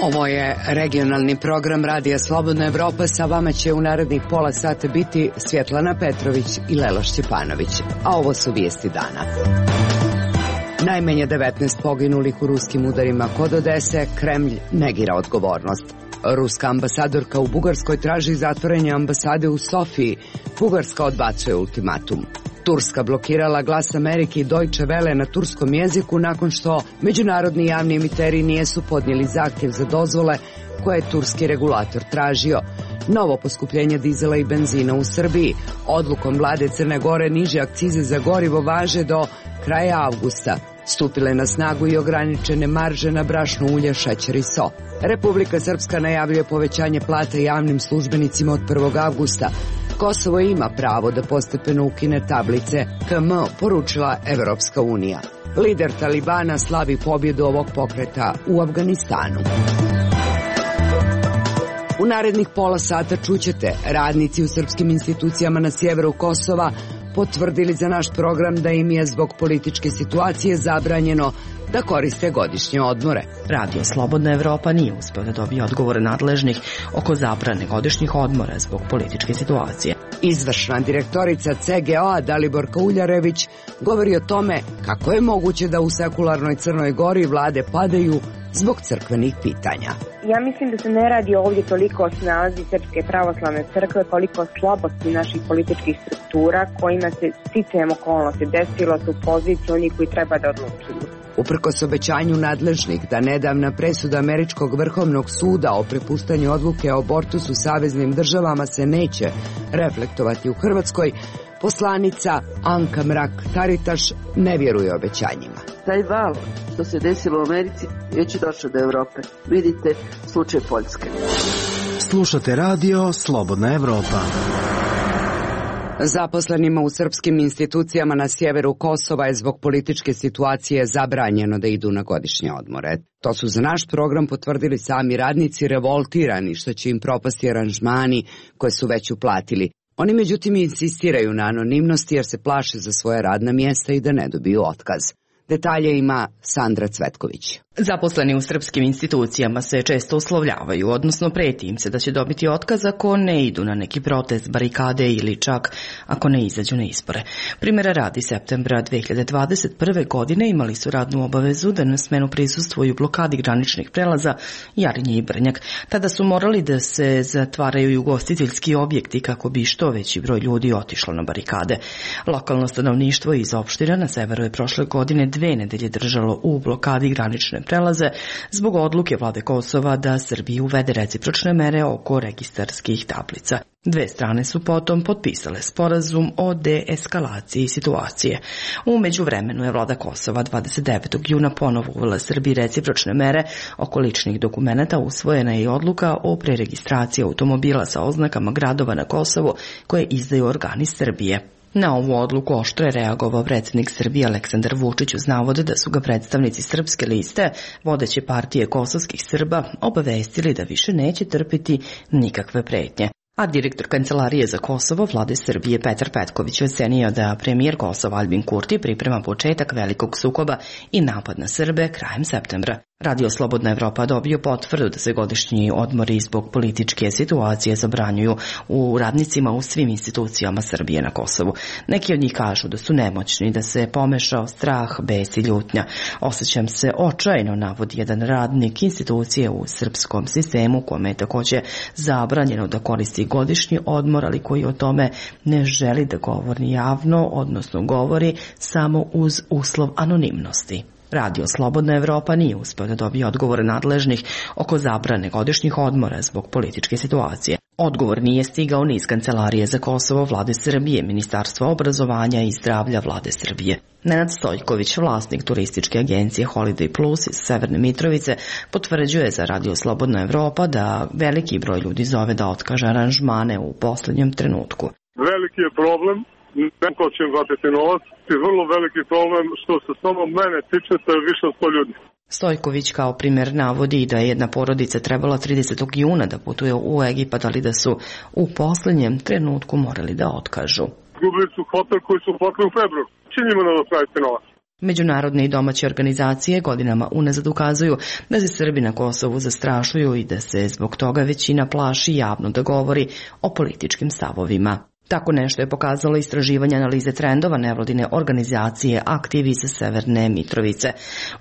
Ovo je regionalni program Radija Slobodna Evropa. Sa vama će u narednih pola sata biti Svjetlana Petrović i Lela Šćepanović. A ovo su vijesti dana. Najmanje 19 poginulih u ruskim udarima kod Odese, Kremlj negira odgovornost. Ruska ambasadorka u Bugarskoj traži zatvaranje ambasade u Sofiji. Bugarska odbacuje ultimatum. Turska blokirala Glas Amerike i Deutsche Welle na turskom jeziku nakon što međunarodni javni emiteri nisu podnijeli zahtjev za dozvole koje je turski regulator tražio. Novo poskupljenje dizela i benzina u Srbiji. Odlukom vlade Crne Gore niže akcize za gorivo važe do kraja avgusta. Stupile na snagu i ograničene marže na brašno, ulje, šećer i so. Republika Srpska najavljuje povećanje plata javnim službenicima od 1. avgusta. Kosovo ima pravo da postepeno ukine tablice KM, poručila Evropska unija. Lider Talibana slavi pobjedu ovog pokreta u Afganistanu. U narednih pola sata čućete: radnici u srpskim institucijama na sjeveru Kosova potvrdili za naš program da im je zbog političke situacije zabranjeno da koriste godišnje odmore. Radio Slobodna Evropa nije uspeo da dobije odgovore nadležnih oko zabrane godišnjih odmora zbog političke situacije. Izvršna direktorica CGO-a Daliborka Uljarević govori o tome kako je moguće da u sekularnoj Crnoj Gori vlade padaju zbog crkvenih pitanja. Ja mislim da se ne radi ovdje toliko o snazi Srpske pravoslavne crkve, koliko o slabosti naših političkih struktura kojima se sticajem okolnosti desilo su poziciji onih koji treba da odlučuju. Uprkos obećanju nadležnih da nedavna presuda Američkog vrhovnog suda o prepuštanju odluke o abortusu saveznim državama se neće reflektovati u Hrvatskoj, poslanica Anka Mrak-Taritaš ne vjeruje obećanjima. Taj val što se desilo u Americi već je došao do Evrope. Vidite slučaj Poljske. Slušate radio Slobodna Evropa. Zaposlenima u srpskim institucijama na sjeveru Kosova je zbog političke situacije zabranjeno da idu na godišnje odmore. To su za naš program potvrdili sami radnici, revoltirani što će im propasti aranžmani koje su već uplatili. Oni međutim insistiraju na anonimnosti jer se plaše za svoje radna mjesta i da ne dobiju otkaz. Detalje ima Sandra Cvetković. Zaposleni u srpskim institucijama se često uslovljavaju, odnosno preti im se da će dobiti otkaz ako ne idu na neki protest, barikade ili čak ako ne izađu na izbore. Primjera radi, septembra 2021. godine imali su radnu obavezu da na smenu prisustvuju blokadi graničnih prelaza Jarinje i Brnjak. Tada su morali da se zatvaraju i ugostiteljski objekti kako bi što veći broj ljudi otišlo na barikade. Lokalno stanovništvo iz opština na severu je prošle godine 2 nedelje držalo u blokadi granične prelaze zbog odluke vlade Kosova da Srbiji uvede recipročne mere oko registarskih tablica. Dve strane su potom potpisale sporazum o deeskalaciji situacije. U međuvremenu je vlada Kosova 29. juna ponovo uvela Srbiji recipročne mere oko ličnih dokumenata, usvojena je i odluka o preregistraciji automobila sa oznakama gradova na Kosovu koje izdaju organi Srbije. Na ovu odluku oštro je reagovao predsjednik Srbije Aleksandar Vučić uz navod da su ga predstavnici Srpske liste, vodeće partije kosovskih Srba, obavestili da više neće trpiti nikakve pretnje. A direktor Kancelarije za Kosovo vlade Srbije Petar Petković ocenio da premijer Kosova Albin Kurti priprema početak velikog sukoba i napad na Srbe krajem septembra. Radio Slobodna Evropa dobio potvrdu da se godišnji odmori zbog političke situacije zabranjuju u radnicima u svim institucijama Srbije na Kosovu. Neki od njih kažu da su nemoćni, da se pomešao strah, bes i ljutnja. Osjećam se očajno, navodi jedan radnik institucije u srpskom sistemu kome je također zabranjeno da koristi godišnji odmor, ali koji o tome ne želi da govori javno, odnosno govori samo uz uslov anonimnosti. Radio Slobodna Evropa nije uspeo da dobije odgovore nadležnih oko zabrane godišnjih odmora zbog političke situacije. Odgovor nije stigao ni iz Kancelarije za Kosovo vlade Srbije, Ministarstva obrazovanja i zdravlja vlade Srbije. Nenad Stojković, vlasnik turističke agencije Holiday Plus iz Severne Mitrovice, potvrđuje za Radio Slobodna Evropa da veliki broj ljudi zove da otkaže aranžmane u posljednjem trenutku. Veliki je problem. Neko će im vratiti novac i vrlo veliki problem što se samo mene tiče, to je više od 100 ljudi. Stojković kao primjer navodi da je jedna porodica trebala 30. juna da putuje u Egipat, ali da su u posljednjem trenutku morali da otkažu. Izgubili su hotel koji su platili u februaru. Će njima nadoknaditi novac? Međunarodne i domaće organizacije godinama unazad ukazuju da se Srbi na Kosovu zastrašuju i da se zbog toga većina plaši javno da govori o političkim stavovima. Tako nešto je pokazalo istraživanje analize trendova nevladine organizacije Aktiv iz Severne Mitrovice.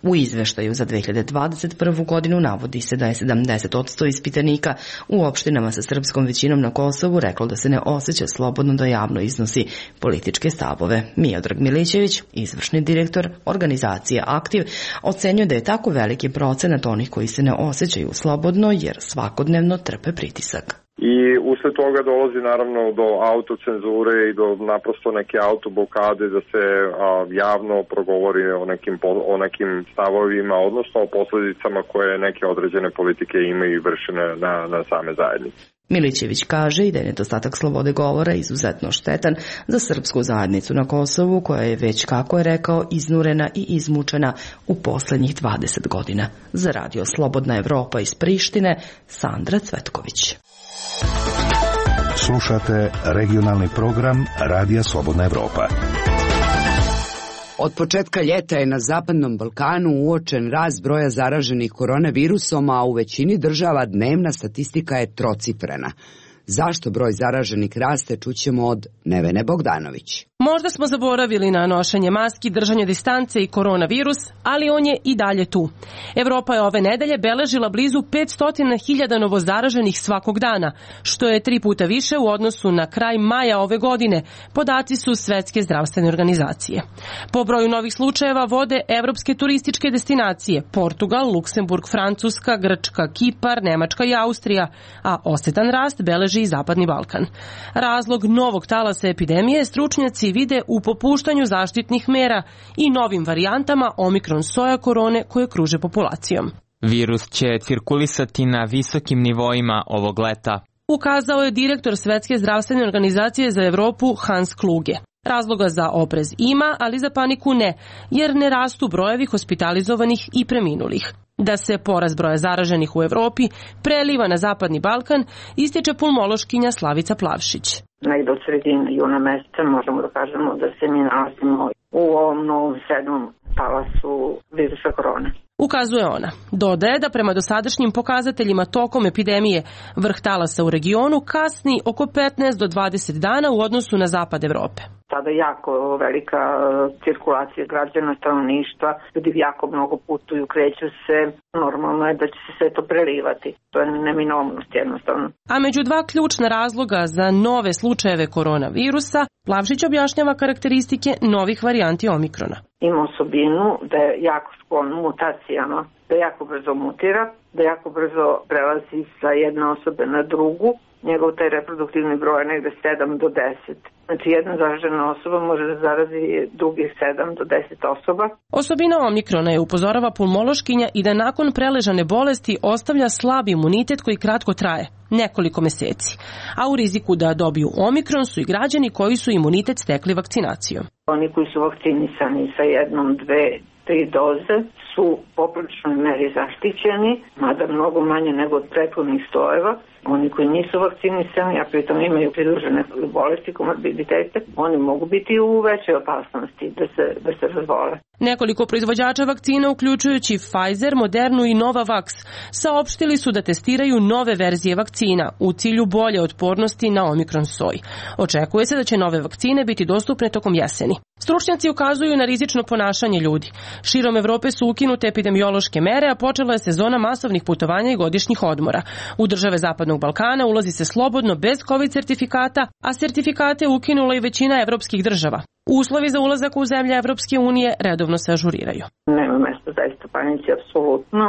U izveštaju za 2021. godinu navodi se da je 70% ispitanika u opštinama sa srpskom većinom na Kosovu reklo da se ne osjeća slobodno da javno iznosi političke stavove. Miodrag Milićević, izvršni direktor organizacije Aktiv, ocenjuje da je tako veliki procenat onih koji se ne osjećaju slobodno jer svakodnevno trpe pritisak. I usled toga dolazi naravno do autocenzure i do naprosto neke autoblokade da se javno progovori o nekim stavovima, odnosno o posljedicama koje neke određene politike imaju i vršene na same zajednice. Milićević kaže i da je nedostatak slobode govora izuzetno štetan za srpsku zajednicu na Kosovu, koja je već, kako je rekao, iznurena i izmučena u poslednjih 20 godina. Za radio Slobodna Evropa iz Prištine, Sandra Cvetković. Slušate regionalni program Radija Slobodna Evropa. Od početka ljeta je na Zapadnom Balkanu uočen rast broja zaraženih koronavirusom, a u većini država dnevna statistika je trocifrena. Zašto broj zaraženih raste, čućemo od Nevene Bogdanović. Možda smo zaboravili na nošenje maski, držanje distance i koronavirus, ali on je i dalje tu. Evropa je ove nedelje beležila blizu 500.000 novozaraženih svakog dana, što je 3 puta više u odnosu na kraj maja ove godine, podaci su Svetske zdravstvene organizacije. Po broju novih slučajeva vode evropske turističke destinacije Portugal, Luksemburg, Francuska, Grčka, Kipar, Nemačka i Austrija, a osetan rast beleži i Zapadni Balkan. Razlog novog talasa epidemije stručnjaci vide u popuštanju zaštitnih mera i novim varijantama omikron soja korone koje kruže populacijom. Virus će cirkulisati na visokim nivoima ovog leta, ukazao je direktor Svetske zdravstvene organizacije za Evropu Hans Kluge. Razloga za oprez ima, ali za paniku ne, jer ne rastu brojevi hospitalizovanih i preminulih. Da se porast broja zaraženih u Evropi preliva na Zapadni Balkan, ističe pulmološkinja Slavica Plavšić. Negde od sredine juna meseca možemo da kažemo da se mi nalazimo u ovom novom 7. talasu virusa korone. Ukazuje ona. Dodaje da prema dosadašnjim pokazateljima tokom epidemije vrh talasa u regionu kasni oko 15 do 20 dana u odnosu na zapad Evrope. Sada jako velika cirkulacija građana, stanovništva, ljudi jako mnogo putuju, kreću se, normalno je da će se sve to prelivati. To je neminovnost jednostavno. A među 2 ključna razloga za nove slučajeve koronavirusa, Plavšić objašnjava karakteristike novih varijanti omikrona. Ima osobinu da je jako sklon mutacijama, da jako brzo mutira, da jako brzo prelazi sa jedne osobe na drugu. Njegov taj reproduktivni broj je negde 7 do 10. Znači jedna zaražena osoba može da zarazi drugih 7 do 10 osoba. Osobina omikrona je, upozorava pulmološkinja, i da nakon preležane bolesti ostavlja slab imunitet koji kratko traje, nekoliko meseci. A u riziku da dobiju omikron su i građani koji su imunitet stekli vakcinacijom. Oni koji su vakcinisani sa 1, 2, 3 doze su u popriličnoj meri zaštićeni, mada mnogo manje nego od prethodnih stojeva. Oni koji nisu vakcinisani, a pritom imaju pridružene bolesti, komorbiditete, oni mogu biti u većoj opasnosti da se razbole. Nekoliko proizvođača vakcina, uključujući Pfizer, Modernu i Novavax, saopštili su da testiraju nove verzije vakcina u cilju bolje otpornosti na omikron soj. Očekuje se da će nove vakcine biti dostupne tokom jeseni. Stručnjaci ukazuju na rizično ponašanje ljudi. Širom Evrope su ukinute epidemiološke mere, a počela je sezona masovnih putovanja i godišnjih odmora. U države Zapadnog Balkana ulazi se slobodno bez COVID sertifikata, a sertifikate ukinula i većina evropskih država. Uslovi za ulazak u zemlje Evropske unije redovno se ažuriraju. Nema mesta zaista panici apsolutno,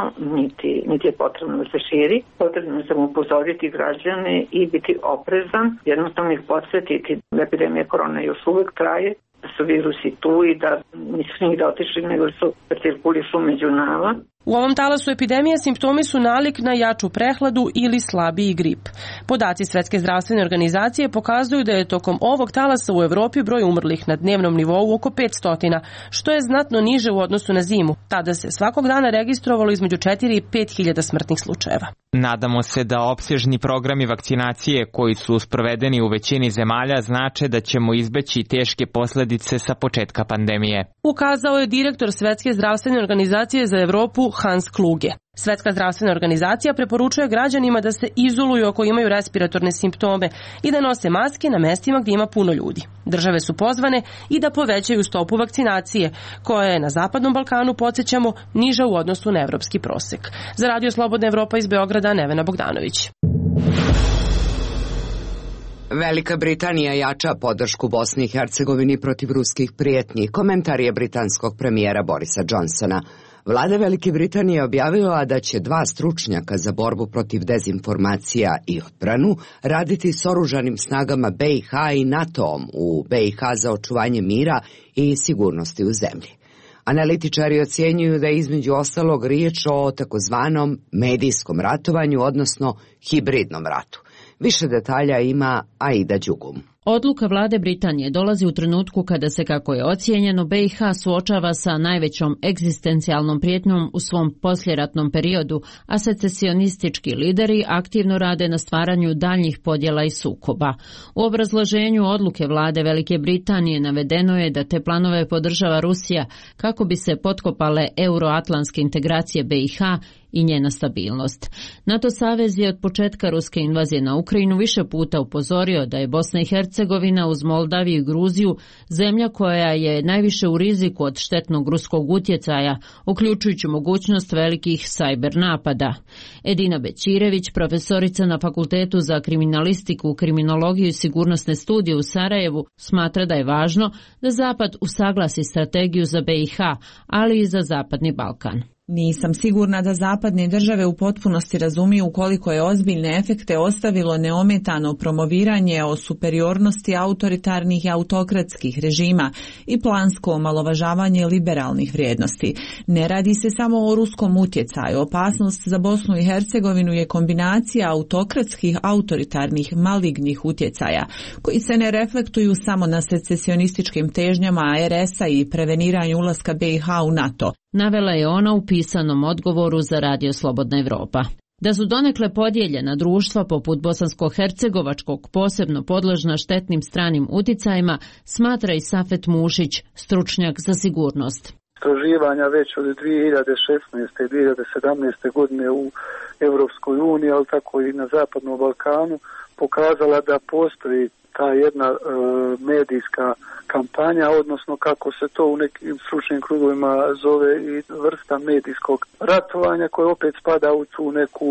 niti je potrebno da se širi. Potrebno je samo upozoriti građane i biti oprezan, jednostavno ih podsjetiti da epidemija korona još uvek traje, da su virusi tu i da nisu nigde otišli, nego su cirkulišu među nama. U ovom talasu epidemije simptomi su nalik na jaču prehladu ili slabiji grip. Podaci Svetske zdravstvene organizacije pokazuju da je tokom ovog talasa u Evropi broj umrlih na dnevnom nivou oko 500, što je znatno niže u odnosu na zimu. Tada se svakog dana registrovalo između 4 i 5 hiljada smrtnih slučajeva. Nadamo se da opsežni programi vakcinacije koji su sprovedeni u većini zemalja znače da ćemo izbeći teške posledice sa početka pandemije. Ukazao je direktor Svetske zdravstvene organizacije za Evropu Hans Kluge. Svetska zdravstvena organizacija preporučuje građanima da se izoluju ako imaju respiratorne simptome i da nose maske na mestima gdje ima puno ljudi. Države su pozvane i da povećaju stopu vakcinacije, koja je na Zapadnom Balkanu, podsjećamo, niža u odnosu na evropski prosek. Za Radio Slobodna Evropa iz Beograda, Nevena Bogdanović. Velika Britanija jača podršku Bosni i Hercegovini protiv ruskih prijetnji. Komentar je britanskog premijera Borisa Johnsona. Vlada Velike Britanije objavila da će 2 stručnjaka za borbu protiv dezinformacija i odbranu raditi s oružanim snagama BiH i NATO-om u BiH za očuvanje mira i sigurnosti u zemlji. Analitičari ocjenjuju da je između ostalog riječ o takozvanom medijskom ratovanju, odnosno hibridnom ratu. Više detalja ima Aida Đugum. Odluka vlade Britanije dolazi u trenutku kada se, kako je ocijenjeno, BiH suočava sa najvećom egzistencijalnom prijetnjom u svom posljeratnom periodu, a secesionistički lideri aktivno rade na stvaranju daljnjih podjela i sukoba. U obrazloženju odluke vlade Velike Britanije navedeno je da te planove podržava Rusija kako bi se potkopale euroatlantske integracije BiH i njena stabilnost. NATO savez je od početka ruske invazije na Ukrajinu više puta upozorio da je Bosna i Hercegovina uz Moldaviju i Gruziju zemlja koja je najviše u riziku od štetnog ruskog utjecaja, uključujući mogućnost velikih sajber napada. Edina Bećirević, profesorica na Fakultetu za kriminalistiku, kriminologiju i sigurnosne studije u Sarajevu, smatra da je važno da Zapad usaglasi strategiju za BiH, ali i za Zapadni Balkan. Nisam sigurna da zapadne države u potpunosti razumiju koliko je ozbiljne efekte ostavilo neometano promoviranje o superiornosti autoritarnih i autokratskih režima i plansko omalovažavanje liberalnih vrijednosti. Ne radi se samo o ruskom utjecaju. Opasnost za Bosnu i Hercegovinu je kombinacija autokratskih, autoritarnih, malignih utjecaja, koji se ne reflektuju samo na secesionističkim težnjama RS-a i preveniranju ulaska BiH u NATO. Navela je ona u pisanom odgovoru za Radio Slobodna Evropa. Da su donekle podijeljena društva poput bosansko-hercegovačkog posebno podložna štetnim stranim uticajima, smatra i Safet Mušić, stručnjak za sigurnost. Istraživanja već od 2016. i 2017. godine u Europskoj uniji, ali tako i na Zapadnom Balkanu, pokazala da postoji ta jedna medijska kampanja, odnosno kako se to u nekim stručnim krugovima zove i vrsta medijskog ratovanja, koje opet spada u tu neku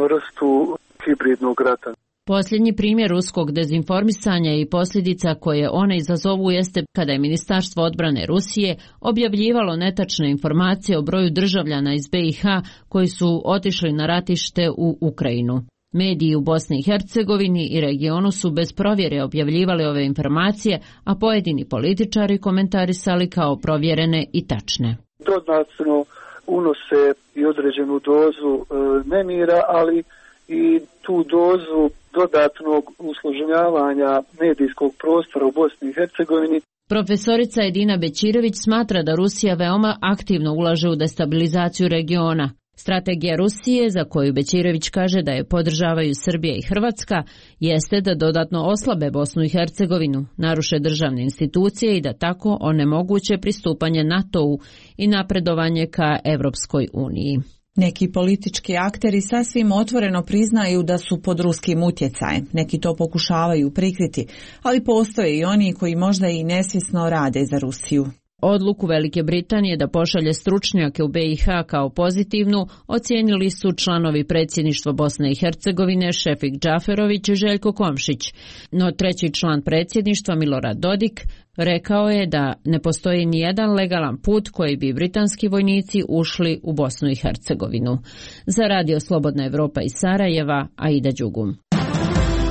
vrstu hibridnog rata. Posljednji primjer ruskog dezinformisanja i posljedica koje one izazovu jeste kada je Ministarstvo odbrane Rusije objavljivalo netačne informacije o broju državljana iz BiH koji su otišli na ratište u Ukrajinu. Mediji u Bosni i Hercegovini i regionu su bez provjere objavljivali ove informacije, a pojedini političari komentarisali kao provjerene i tačne. Dodatno unose i određenu dozu nemira, ali i tu dozu dodatnog usloženjavanja medijskog prostora u Bosni i Hercegovini. Profesorica Edina Bećirević smatra da Rusija veoma aktivno ulaže u destabilizaciju regiona. Strategija Rusije, za koju Bećirević kaže da je podržavaju Srbija i Hrvatska, jeste da dodatno oslabe Bosnu i Hercegovinu, naruše državne institucije i da tako onemoguće pristupanje NATO-u i napredovanje ka Evropskoj uniji. Neki politički akteri sasvim otvoreno priznaju da su pod ruskim utjecajem. Neki to pokušavaju prikriti, ali postoje i oni koji možda i nesvjesno rade za Rusiju. Odluku Velike Britanije da pošalje stručnjake u BiH kao pozitivnu ocijenili su članovi predsjedništva Bosne i Hercegovine Šefik Džaferović i Željko Komšić. No treći član predsjedništva Milorad Dodik rekao je da ne postoji ni jedan legalan put koji bi britanski vojnici ušli u Bosnu i Hercegovinu. Za Radio Slobodna Evropa iz Sarajeva, Aida Đugum.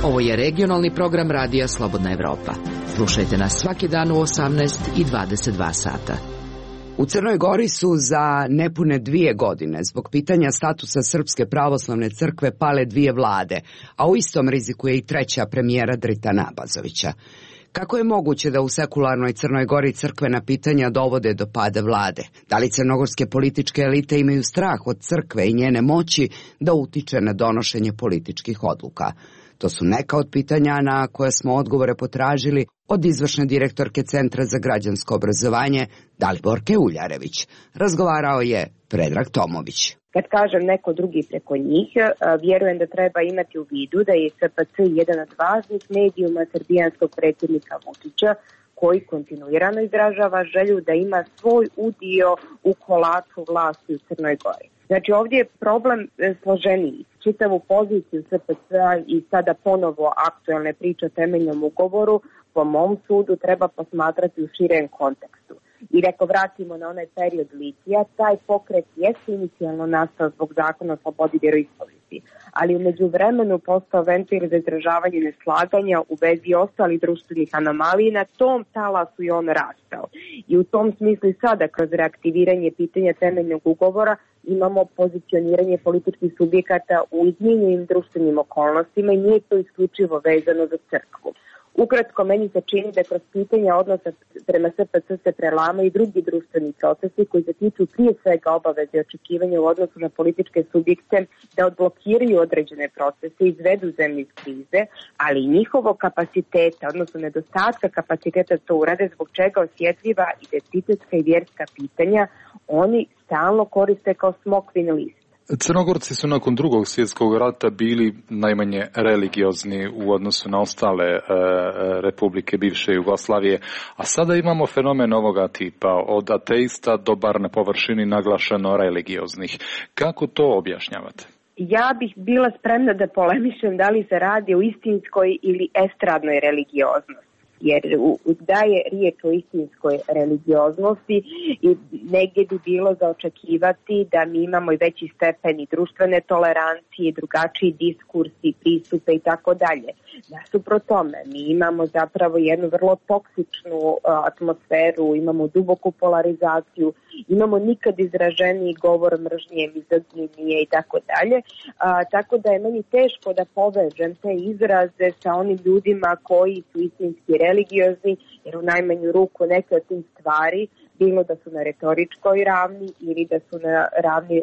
Ovo je regionalni program Radija Slobodna Evropa. Slušajte nas svaki dan u 18 i 22 sata. U Crnoj Gori su za nepune 2 godine zbog pitanja statusa Srpske pravoslavne crkve pale 2 vlade, a u istom riziku je i 3. premijera Drita Nabazovića. Kako je moguće da u sekularnoj Crnoj Gori crkvena pitanja dovode do pada vlade? Da li crnogorske političke elite imaju strah od crkve i njene moći da utiče na donošenje političkih odluka? To su neka od pitanja na koje smo odgovore potražili od izvršne direktorke Centra za građansko obrazovanje Daliborke Uljarević. Razgovarao je Predrag Tomović. Kad kažem neko drugi preko njih, vjerujem da treba imati u vidu da je SPC jedan od važnih medijuma srbijanskog predsjednika Vučića, koji kontinuirano izražava želju da ima svoj udio u kolaču vlasti u Crnoj Gori. Znači ovdje je problem složeniji. Čitavu poziciju SPC-a i sada ponovo aktualne priče o temeljnom ugovoru po mom sudu treba posmatrati u širem kontekstu. I ako vratimo na onaj period litija, taj pokret jeste inicijalno nastao zbog zakona o slobodi vjeroispovesti, ali u međuvremenu postao ventil za izražavanje neslaganja u vezi ostalih društvenih anomalija i na tom talasu i on rastao. I u tom smislu sada kroz reaktiviranje pitanja temeljnog ugovora imamo pozicioniranje političkih subjekata u izmijenjenim društvenim okolnostima i nije to isključivo vezano za crkvu. Ukratko, meni se čini da kroz pitanja odnosa prema SPC se prelamaju i drugi društveni procesi koji se tiču prije svega obaveze i očekivanja u odnosu na političke subjekte da odblokiraju određene procese i izvedu zemlju iz krize, ali i njihovog kapaciteta, odnosno nedostatka kapaciteta to urade, zbog čega osjetljiva identitetska i vjerska pitanja oni stalno koriste kao smokvin list. Crnogorci su nakon Drugog svjetskog rata bili najmanje religiozni u odnosu na ostale republike bivše Jugoslavije, a sada imamo fenomen ovoga tipa, od ateista do bar na površini naglašeno religioznih. Kako to objašnjavate? Ja bih bila spremna da polemišem da li se radi o istinskoj ili estradnoj religioznosti. Jer da je riječ o istinskoj religioznosti i negdje bi bilo za očekivati da mi imamo i veći stepen i društvene tolerancije, drugačiji diskursi, pristupe i tako dalje. Nasuprot tome, mi imamo zapravo jednu vrlo toksičnu atmosferu, imamo duboku polarizaciju, imamo nikad izraženiji govor mržnje, mizoginije i tako dalje. Tako da je meni teško da povežem te izraze sa onim ljudima koji su istinski religiozni, jer u najmanju ruku neke od tih stvari, bilo da su na retoričkoj ravni ili da su na ravni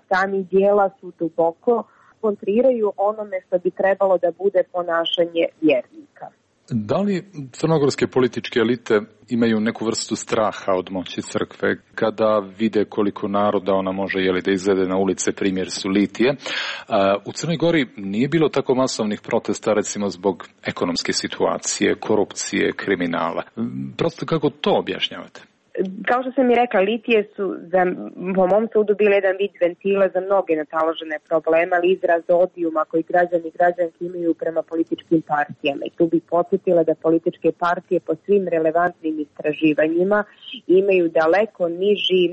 samih dijela, su duboko kontriraju onome što bi trebalo da bude ponašanje vjernika. Da li crnogorske političke elite imaju neku vrstu straha od moći crkve kada vide koliko naroda ona može da izvede na ulice, primjer su litije? U Crnoj Gori nije bilo tako masovnih protesta recimo zbog ekonomske situacije, korupcije, kriminala. Prosto kako to objašnjavate? Kao što sam i rekla, litije su po mom sudu bile jedan vid ventila za mnoge nataložene probleme, ali izraz odijuma koji građani i građanke imaju prema političkim partijama. I tu bih podsjetila da političke partije po svim relevantnim istraživanjima imaju daleko niži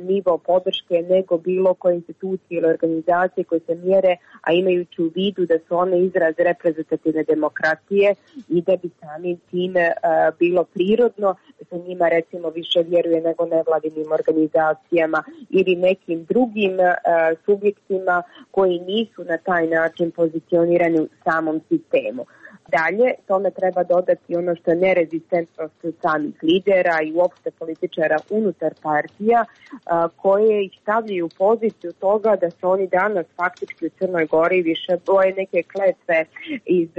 nivo podrške nego bilo koje institucije ili organizacije koje se mjere, a imajući u vidu da su one izraz reprezentativne demokratije i da bi samim tim bilo prirodno da se njima recimo više vjeruje nego nevladinim organizacijama ili nekim drugim subjektima koji nisu na taj način pozicionirani u samom sistemu. Dalje, tome treba dodati ono što je nerezistentnost samih lidera i uopšte političara unutar partija koje ih stavljaju u poziciju toga da se oni danas faktički u Crnoj Gori više boje neke kletve iz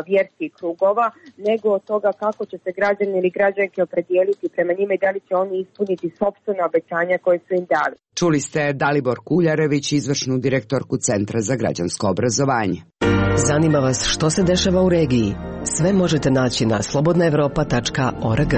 vjerskih krugova nego od toga kako će se građani ili građanke opredijeliti prema njima i da li će oni ispuniti sopstvena obećanja koje su im dali. Čuli ste Daliborku Uljarević, izvršnu direktorku Centra za građansko obrazovanje. Zanima vas što se dešava u regiji? Sve možete naći na slobodnaevropa.org.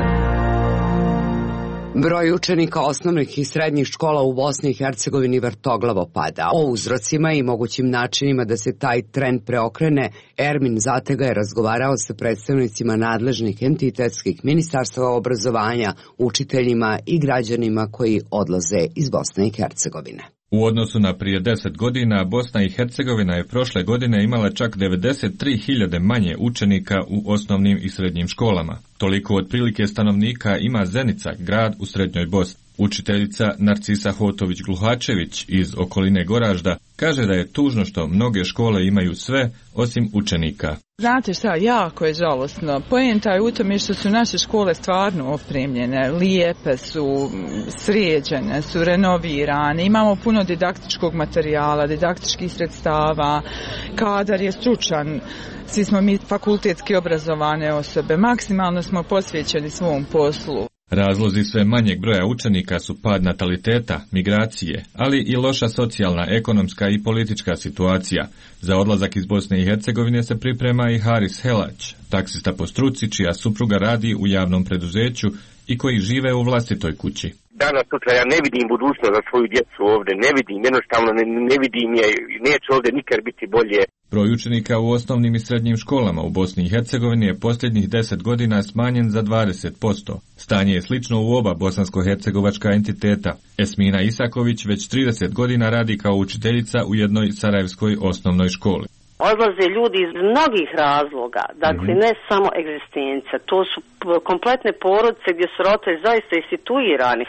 Broj učenika osnovnih i srednjih škola u Bosni i Hercegovini vrtoglavo pada. O uzrocima i mogućim načinima da se taj trend preokrene, Ermin Zatega je razgovarao sa predstavnicima nadležnih entitetskih ministarstva obrazovanja, učiteljima i građanima koji odlaze iz Bosne i Hercegovine. U odnosu na prije 10 godina, Bosna i Hercegovina je prošle godine imala čak 93.000 manje učenika u osnovnim i srednjim školama. Toliko otprilike stanovnika ima Zenica, grad u srednjoj Bosni. Učiteljica Narcisa Hotović-Gluhačević iz okoline Goražda kaže da je tužno što mnoge škole imaju sve osim učenika. Znate šta, jako je žalosno. Poenta je u tome što su naše škole stvarno opremljene, lijepe su, sređene su, renovirane, imamo puno didaktičkog materijala, didaktičkih sredstava, kadar je stručan, svi smo mi fakultetski obrazovane osobe, maksimalno smo posvećeni svom poslu. Razlozi sve manjeg broja učenika su pad nataliteta, migracije, ali i loša socijalna, ekonomska i politička situacija. Za odlazak iz Bosne i Hercegovine se priprema i Haris Helać, taksista po struci čija supruga radi u javnom preduzeću i koji žive u vlastitoj kući. Danas sutra ja ne vidim budućnost za svoju djecu ovdje, ne vidim, jednostavno ne vidim je, neće ovdje nikad biti bolje. Broj učenika u osnovnim i srednjim školama u Bosni i Hercegovini je posljednjih 10 godina smanjen za 20%. Stanje je slično u oba bosansko-hercegovačka entiteta. Esmina Isaković već 30 godina radi kao učiteljica u jednoj sarajevskoj osnovnoj školi. Odlaze ljudi iz mnogih razloga, dakle ne samo egzistencija, to su kompletne porodice gdje su roditelji zaista i situirani,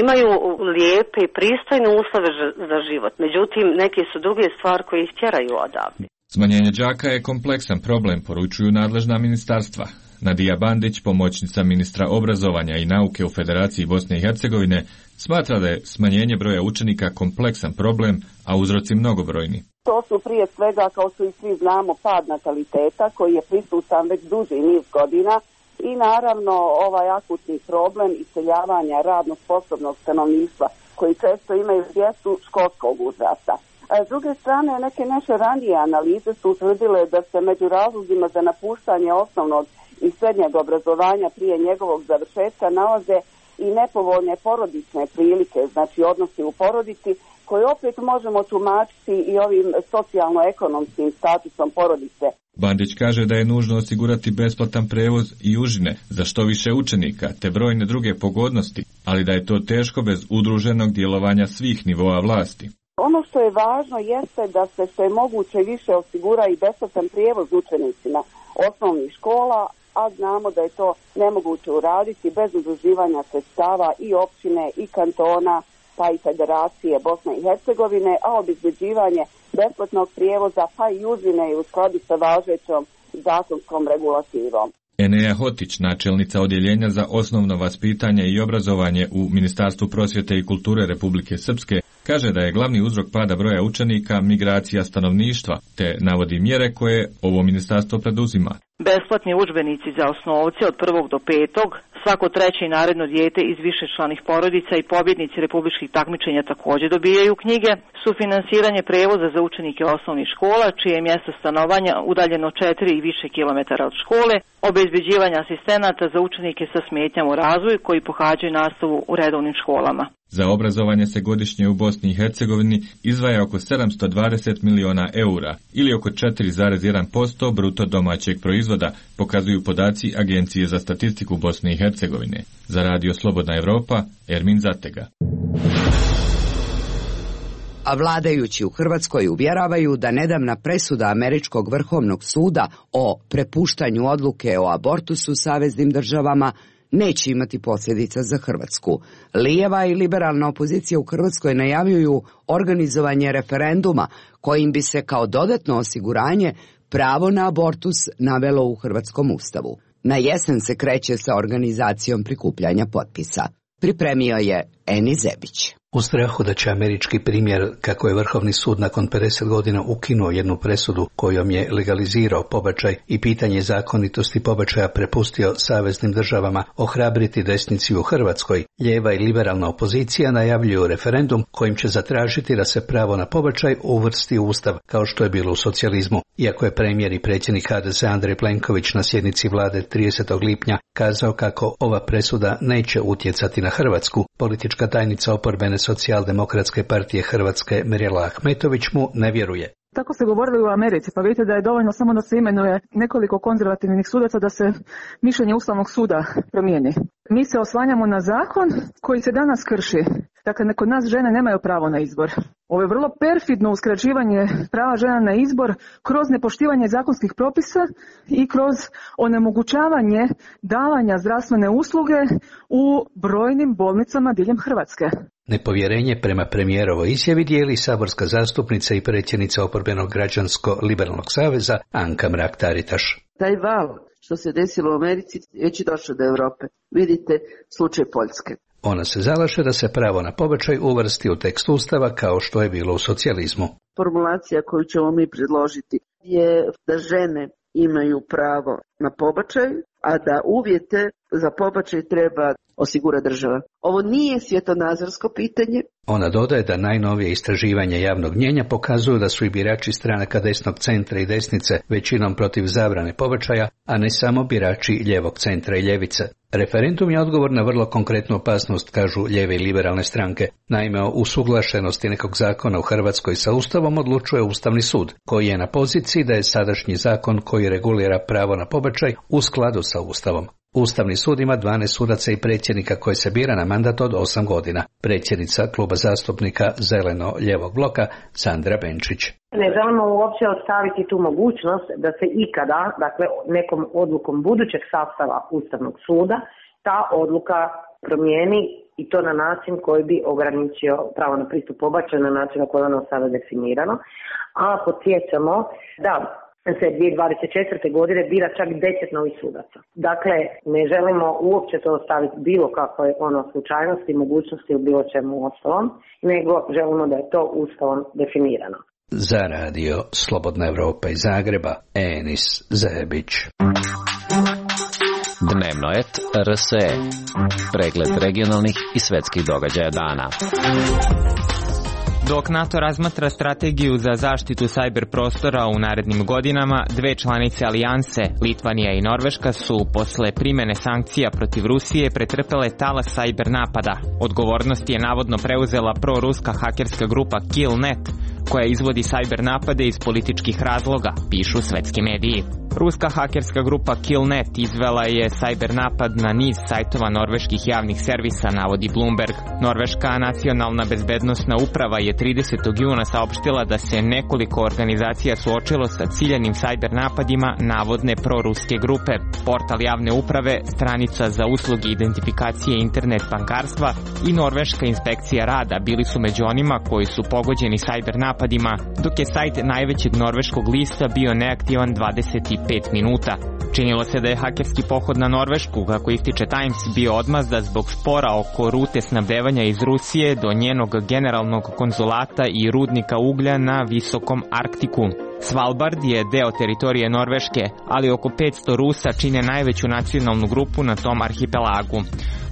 imaju lijepe i pristojne uslove za život, međutim neke su druge stvari koje ih tjeraju odavde. Smanjenje đaka je kompleksan problem, poručuju nadležna ministarstva. Nadija Bandić, pomoćnica ministra obrazovanja i nauke u Federaciji Bosne i Hercegovine, smatra da je smanjenje broja učenika kompleksan problem, a uzroci mnogobrojni. To su prije svega, kao što i svi znamo, pad nataliteta koji je prisutan već duži niz godina i naravno ovaj akutni problem iseljavanja radno sposobnog stanovništva koji često imaju djecu školskog uzrasta. S druge strane, neke naše ranije analize su utvrdile da se među razlozima za napuštanje osnovnog i srednjeg obrazovanja prije njegovog završetka nalaze i nepovoljne porodične prilike, znači odnosi u porodici, koje opet možemo tumačiti i ovim socijalno-ekonomskim statusom porodice. Bandić kaže da je nužno osigurati besplatan prevoz i užine za što više učenika, te brojne druge pogodnosti, ali da je to teško bez udruženog djelovanja svih nivoa vlasti. Ono što je važno jeste da se što je moguće više osigura i besplatan prijevoz učenicima osnovnih škola, a znamo da je to nemoguće uraditi bez udruživanja sredstava i općine i kantona, pa i Federacije Bosne i Hercegovine, a obezbeđivanje besplatnog prijevoza pa i užine je u skladu sa važećom zakonskom regulativom. Enea Hotić, načelnica odjeljenja za osnovno vaspitanje i obrazovanje u Ministarstvu prosvjete i kulture Republike Srpske, kaže da je glavni uzrok pada broja učenika migracija stanovništva, te navodi mjere koje ovo ministarstvo preduzima. Besplatni udžbenici za osnovce od 1. do 5. Svako treće i naredno dijete iz višečlanih porodica i pobjednici republičkih takmičenja također dobijaju knjige, sufinansiranje prevoza za učenike osnovnih škola, čije je mjesto stanovanja udaljeno 4 i više kilometara od škole, obezbeđivanje asistenata za učenike sa smetnjama u razvoju koji pohađaju nastavu u redovnim školama. Za obrazovanje se godišnje u Bosni i Hercegovini izdvaja oko 720 miliona eura ili oko 4,1% bruto domaćeg proizvoda, pokazuju podaci Agencije za statistiku Bosne i Hercegovine. Za Radio Slobodna Evropa, Ermin Zatega. A vladajući u Hrvatskoj uvjeravaju da nedavna presuda Američkog vrhovnog suda o prepuštanju odluke o abortusu saveznim državama neće imati posljedica za Hrvatsku. Lijeva i liberalna opozicija u Hrvatskoj najavljuju organizovanje referenduma kojim bi se kao dodatno osiguranje pravo na abortus navelo u Hrvatskom ustavu. Na jesen se kreće sa organizacijom prikupljanja potpisa. Pripremio je Eni Zebić. U strahu da će američki primjer kako je Vrhovni sud nakon 50 godina ukinuo jednu presudu kojom je legalizirao pobačaj i pitanje zakonitosti pobačaja prepustio saveznim državama ohrabriti desnici u Hrvatskoj, lijeva i liberalna opozicija najavljuju referendum kojim će zatražiti da se pravo na pobačaj uvrsti u ustav kao što je bilo u socijalizmu. Iako je premijer i predsjednik HDZ Andrej Plenković na sjednici vlade 30. lipnja kazao kako ova presuda neće utjecati na Hrvatsku, politička tajnica oporbene Socijaldemokratske partije Hrvatske Mirela Ahmetović mu ne vjeruje. Tako se govorili u Americi, pa vidite da je dovoljno samo da se imenuje nekoliko konzervativnih sudaca da se mišljenje Ustavnog suda promijeni. Mi se oslanjamo na zakon koji se danas krši. Dakle, kod nas žene nemaju pravo na izbor. Ovo je vrlo perfidno uskraćivanje prava žena na izbor kroz nepoštivanje zakonskih propisa i kroz onemogućavanje davanja zdravstvene usluge u brojnim bolnicama diljem Hrvatske. Nepovjerenje prema premijerovoj izjavi dijeli saborska zastupnica i predsjednica oporbenog građansko-liberalnog saveza Anka Mrak-Taritaš. Taj val što se desilo u Americi već je došao do Europe. Vidite slučaj Poljske. Ona se zalaže da se pravo na pobačaj uvrsti u tekst Ustava kao što je bilo u socijalizmu. Formulacija koju ćemo mi predložiti je da žene imaju pravo na pobačaj, a da uvjete za pobačaj treba osigura država. Ovo nije svjetonazorsko pitanje. Ona dodaje da najnovije istraživanja javnog mnijenja pokazuju da su i birači stranaka desnog centra i desnice većinom protiv zabrane pobačaja, a ne samo birači ljevog centra i ljevice. Referendum je odgovor na vrlo konkretnu opasnost, kažu lijeve i liberalne stranke. Naime, o usuglašenosti nekog zakona u Hrvatskoj sa Ustavom odlučuje Ustavni sud, koji je na poziciji da je sadašnji zakon koji regulira pravo na pobačaj u skladu sa Ustavom. Ustavni sud ima 12 sudaca i predsjednika koji se bira na mandat od 8 godina. Predsjednica kluba zastupnika Zeleno-ljevog bloka Sandra Benčić. Ne želimo uopće ostaviti tu mogućnost da se ikada, dakle nekom odlukom budućeg sastava Ustavnog suda, ta odluka promijeni i to na način koji bi ograničio pravo na pristup pobačaju na način na koji je ono sada definirano. A podsjećamo da se 2024. godine bira čak 10 novih sudaca. Dakle, ne želimo uopće to ostaviti bilo kakve slučajnosti, mogućnosti u bilo čemu ostalom, nego želimo da je to Ustavom definirano. Za radio Slobodna Evropa iz Zagreba, Enis Zebić. Dnevno et RSE. Pregled regionalnih i svetskih događaja dana. Dok NATO razmatra strategiju za zaštitu sajber prostora u narednim godinama, dve članice alijanse, Litvanija i Norveška, su posle primene sankcija protiv Rusije pretrpele talas sajber napada. Odgovornost je navodno preuzela proruska hakerska grupa Killnet, koja izvodi sajber napade iz političkih razloga, pišu svetski mediji. Ruska hakerska grupa Killnet izvela je sajber napad na niz sajtova norveških javnih servisa, navodi Bloomberg. Norveška nacionalna bezbednosna uprava je 30. juna saopštila da se nekoliko organizacija suočilo sa ciljanim sajber napadima navodne proruske grupe. Portal javne uprave, stranica za usluge identifikacije internet bankarstva i norveška inspekcija rada bili su među onima koji su pogođeni sajber napadima, dok je sajt najvećeg norveškog lista bio neaktivan 25 minuta. Činilo se da je hakerski pohod na Norvešku, kako ističe Times, bio odmazda zbog spora oko rute snabdevanja iz Rusije do njenog generalnog konzulata i rudnika uglja na visokom Arktiku. Svalbard je deo teritorije Norveške, ali oko 500 Rusa čine najveću nacionalnu grupu na tom arhipelagu.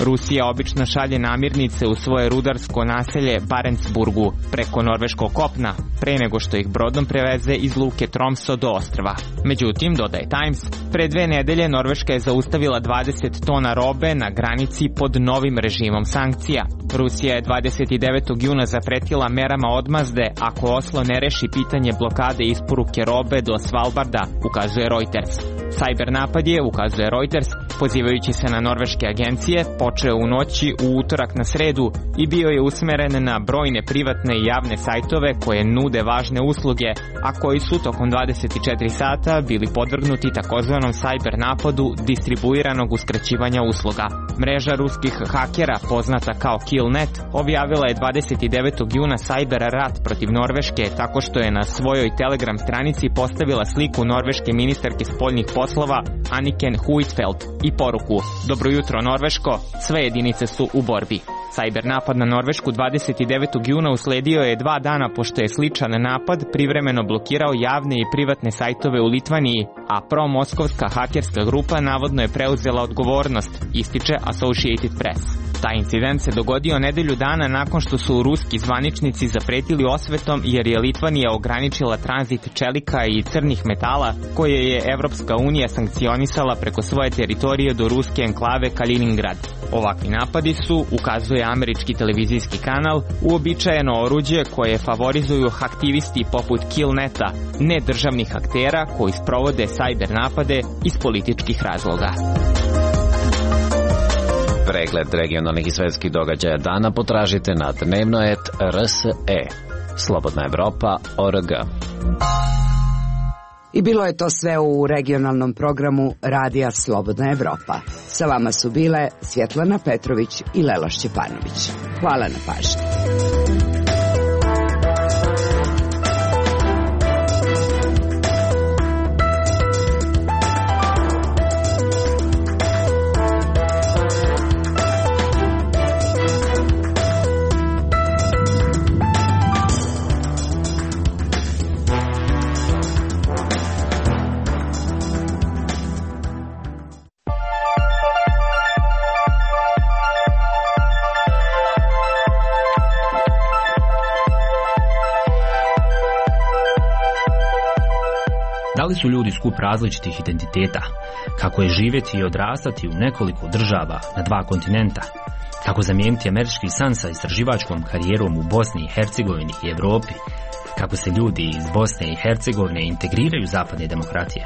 Rusija obično šalje namirnice u svoje rudarsko naselje Barentsburgu preko norveškog kopna, pre nego što ih brodom preveze iz luke Tromso do ostrva. Međutim, dodaje Times, pre 2 nedelje Norveška je zaustavila 20 tona robe na granici pod novim režimom sankcija. Rusija je 29. juna zapretila merama odmazde ako Oslo ne reši pitanje blokade isporuke robe do Svalbarda, ukazuje Reuters. Sajber napad je, ukazuje Reuters, pozivajući se na norveške agencije, počeo u noći u utorak na sredu i bio je usmeren na brojne privatne i javne sajtove koje nude važne usluge, a koji su tokom 24 sata bili podvrgnuti takozvanom sajber napadu distribuiranog uskraćivanja usluga. Mreža ruskih hakera, poznata kao Killnet, objavila je 29. juna sajber rat protiv Norveške tako što je na svojoj Telegram stranici postavila sliku norveške ministarke spoljnih poslova Anniken Huitfeldt i poruku: Dobro jutro Norveško, sve jedinice su u borbi. Sajber napad na Norvešku 29. juna usledio je 2 dana pošto je sličan napad privremeno blokirao javne i privatne sajtove u Litvaniji, a pro-moskovska hakerska grupa navodno je preuzela odgovornost, ističe Associated Press. Taj incident se dogodio nedelju dana nakon što su ruski zvaničnici zapretili osvetom jer je Litvanija ograničila tranzit čelika i crnih metala koje je Evropska unija sankcionisala preko svoje teritorije do ruske enklave Kaliningrad. Ovakvi napadi su, ukazuje američki televizijski kanal, uobičajeno oruđe koje favorizuju aktivisti poput Killneta, ne državnih aktera koji sprovode sajber napade iz političkih razloga. Pregled regionalnih i svetskih događaja dana potražite na dnevno.rt.rse. slobodnaevropa.org. I bilo je to sve u regionalnom programu Radija Slobodna Evropa. Sa vama su bile Svjetlana Petrović i Lela Šćepanović. Hvala na pažnji. Da li su ljudi skup različitih identiteta? Kako je živjeti i odrastati u nekoliko država na 2 kontinenta? Kako zamijeniti američki san sa istraživačkom karijerom u Bosni i Hercegovini i Europi? Kako se ljudi iz Bosne i Hercegovine integriraju u zapadne demokratije?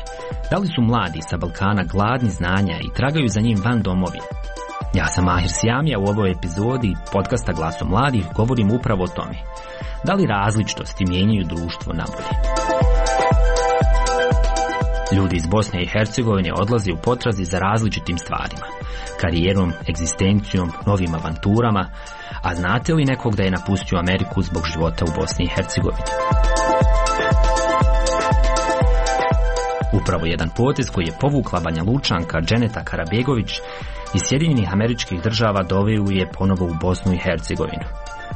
Da li su mladi sa Balkana gladni znanja i tragaju za njim van domovine? Ja sam Mahir Sijamija, u ovoj epizodi podcasta Glasom mladih govorim upravo o tome. Da li različitosti mijenjaju društvo na bolje? Ljudi iz Bosne i Hercegovine odlaze u potrazi za različitim stvarima, karijerom, egzistencijom, novim avanturama, a znate li nekog da je napustio Ameriku zbog života u Bosni i Hercegovini? Upravo jedan potez koji je povukla Banja Lučanka Dženeta Karabegović iz Sjedinjenih Američkih Država doveo je ponovo u Bosnu i Hercegovinu.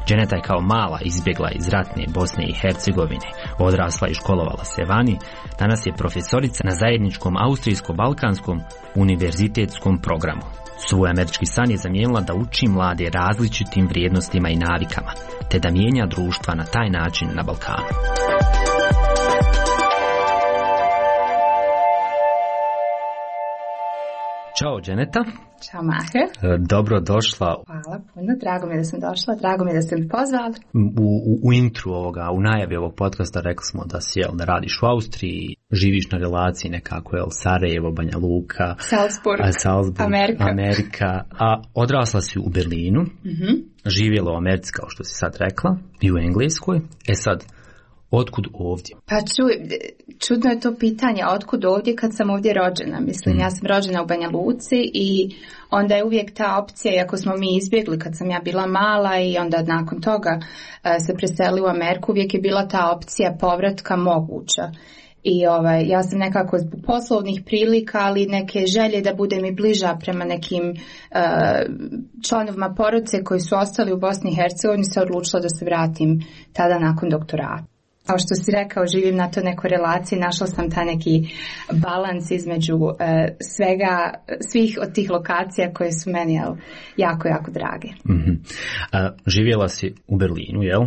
Dženeta je kao mala izbjegla iz ratne Bosne i Hercegovine, odrasla i školovala se vani, danas je profesorica na zajedničkom austrijsko-balkanskom univerzitetskom programu. Svoj američki san je zamijenila da uči mlade različitim vrijednostima i navikama, te da mijenja društva na taj način na Balkanu. Ćao Dženeta. Ćao Maher. Dobro došla. Hvala puno, drago mi je da sam došla, drago mi je da ste mi pozvali. U intru ovoga, u najavi ovog podcasta rekli smo da si, da radiš u Austriji, živiš na relaciji nekako, Sarajevo, Banja Luka, Salzburg, Amerika, a odrasla si u Berlinu, živjela u Americi kao što si sad rekla, i u Engleskoj, sad, otkud ovdje? Pa čudno je to pitanje, otkud ovdje kad sam ovdje rođena. Mislim, ja sam rođena u Banja Luci i onda je uvijek ta opcija, iako smo mi izbjegli kad sam ja bila mala i onda nakon toga se preselili u Ameriku, uvijek je bila ta opcija povratka moguća. I ja sam nekako zbog poslovnih prilika, ali neke želje da budem i bliža prema nekim članovima porodice koji su ostali u Bosni i Hercegovini, se odlučila da se vratim tada nakon doktorata. Kao što si rekao, živim na to nekoj relaciji, našla sam ta neki balans između svih od tih lokacija koje su meni jako, jako drage. Živjela si u Berlinu, jel?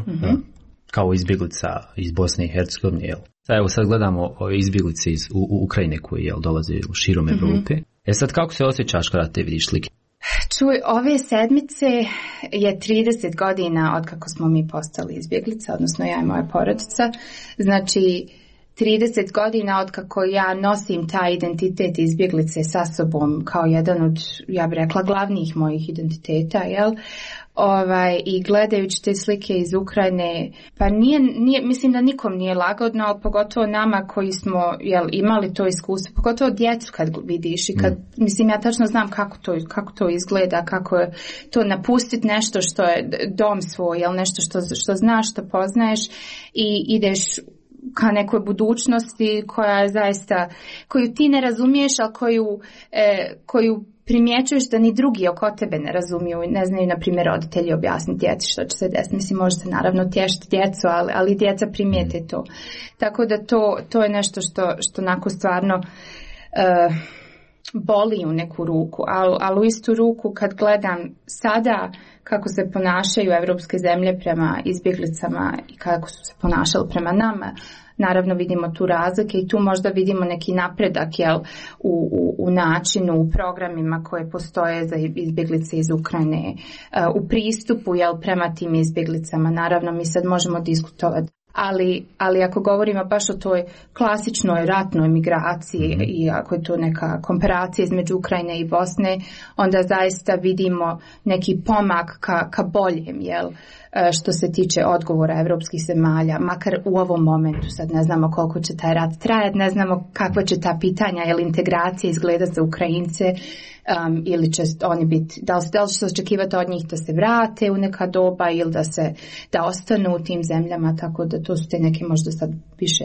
Kao izbjeglica iz Bosne i Hercegovine, jel? Evo sad gledamo ove izbjeglice iz Ukrajine koji dolaze širom Evrope. Sad kako se osjećaš kada te vidiš slike? Čuj, ove sedmice je 30 godina od kako smo mi postali izbjeglica, odnosno ja i moja porodica. Znači, 30 godina od kako ja nosim taj identitet izbjeglice sa sobom kao jedan od, ja bih rekla, glavnih mojih identiteta, jel? I gledajući te slike iz Ukrajine, pa nije, mislim da nikom nije lagodno, ali pogotovo nama koji smo imali to iskustvo, pogotovo djecu kad vidiš i kad, mislim, ja tačno znam kako to izgleda, kako je to napustiti nešto što je dom svoj, nešto što znaš, što poznaješ i ideš ka nekoj budućnosti koja je zaista, koju ti ne razumiješ, ali koju primjećuješ da ni drugi oko tebe ne razumiju i ne znaju, na primjer, roditelji objasniti djeci što će se desiti. Mislim, možete naravno tješiti djecu, ali djeca primijete to. Tako da to je nešto što onako stvarno boli u neku ruku, ali u istu ruku kad gledam sada kako se ponašaju evropske zemlje prema izbjeglicama i kako su se ponašali prema nama, naravno vidimo tu razlike i tu možda vidimo neki napredak u načinu, u programima koje postoje za izbjeglice iz Ukrajine, u pristupu prema tim izbjeglicama. Naravno mi sad možemo diskutovati. Ali ako govorimo baš o toj klasičnoj ratnoj migraciji i ako je to neka komparacija između Ukrajine i Bosne, onda zaista vidimo neki pomak ka boljem, što se tiče odgovora evropskih zemalja, makar u ovom momentu. Sad ne znamo koliko će taj rat trajati, ne znamo kakva će ta pitanja, je li integracija izgleda za Ukrajince, ili će oni biti, da li će se očekivati od njih da se vrate u neka doba ili da ostanu u tim zemljama, tako da to su te neke možda sad više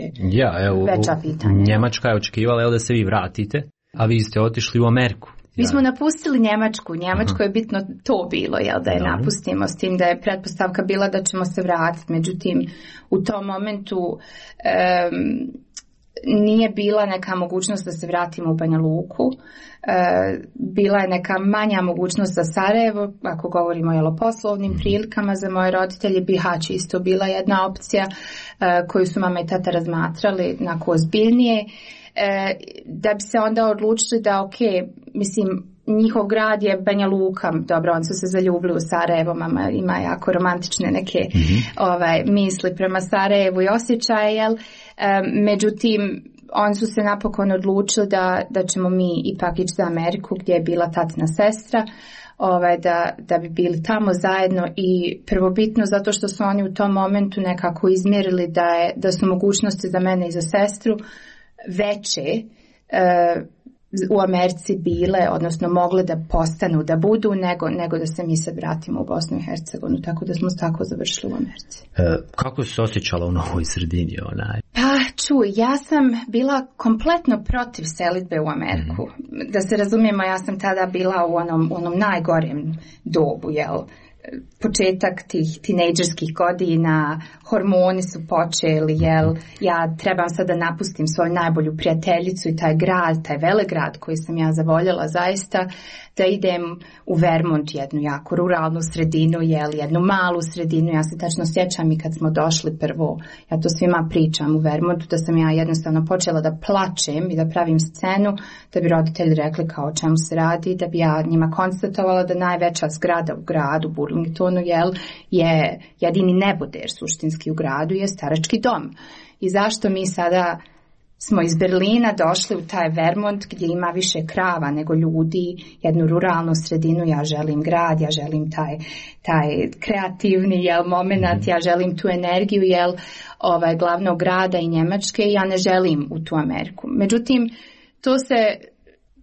veća pitanja. Njemačka je očekivala da se vi vratite, a vi ste otišli u Ameriku. Mi smo napustili Njemačku. Njemačko je bitno to bilo, da je napustimo, s tim da je pretpostavka bila da ćemo se vratiti. Međutim, u tom momentu nije bila neka mogućnost da se vratimo u Banja Luku. Bila je neka manja mogućnost za Sarajevo, ako govorimo o poslovnim prilikama za moje roditelje. Bihać isto bila jedna opcija koju su mama i tata razmatrali onako ozbiljnije. Da bi se onda odlučili da njihov grad je Banja Luka, dobro, oni su se zaljubili u Sarajevo, mama ima jako romantične neke misli prema Sarajevu i osjećaje, međutim oni su se napokon odlučili da ćemo mi ipak ići za Ameriku gdje je bila tatina sestra, da bi bili tamo zajedno, i prvobitno zato što su oni u tom momentu nekako izmjerili da su mogućnosti za mene i za sestru veće u Americi bile, odnosno mogle da postanu, da budu, nego da se mi sad vratimo u Bosnu i Hercegovinu, tako da smo tako završili u Americi. Kako se osjećala u novoj sredini? Ja sam bila kompletno protiv selidbe u Ameriku. Da se razumijemo, ja sam tada bila u onom najgorem dobu, početak tih tinejdžerskih godina, hormoni su počeli, ja trebam sad da napustim svoju najbolju prijateljicu i taj grad, taj velegrad koji sam ja zavoljela zaista, da idem u Vermont, jednu jako ruralnu sredinu, jednu malu sredinu. Ja se tačno sjećam i kad smo došli prvo, ja to svima pričam u Vermontu, da sam ja jednostavno počela da plačem i da pravim scenu, da bi roditelji rekli kao o čemu se radi, da bi ja njima konstatovala da najveća zgrada u gradu, Burlingtonu, je jedini neboder suštinski u gradu, je starački dom. I zašto mi sada smo iz Berlina došli u taj Vermont gdje ima više krava nego ljudi, jednu ruralnu sredinu. Ja želim grad, ja želim taj kreativni moment, ja želim tu energiju glavnog grada i Njemačke, i ja ne želim u tu Ameriku. Međutim, to se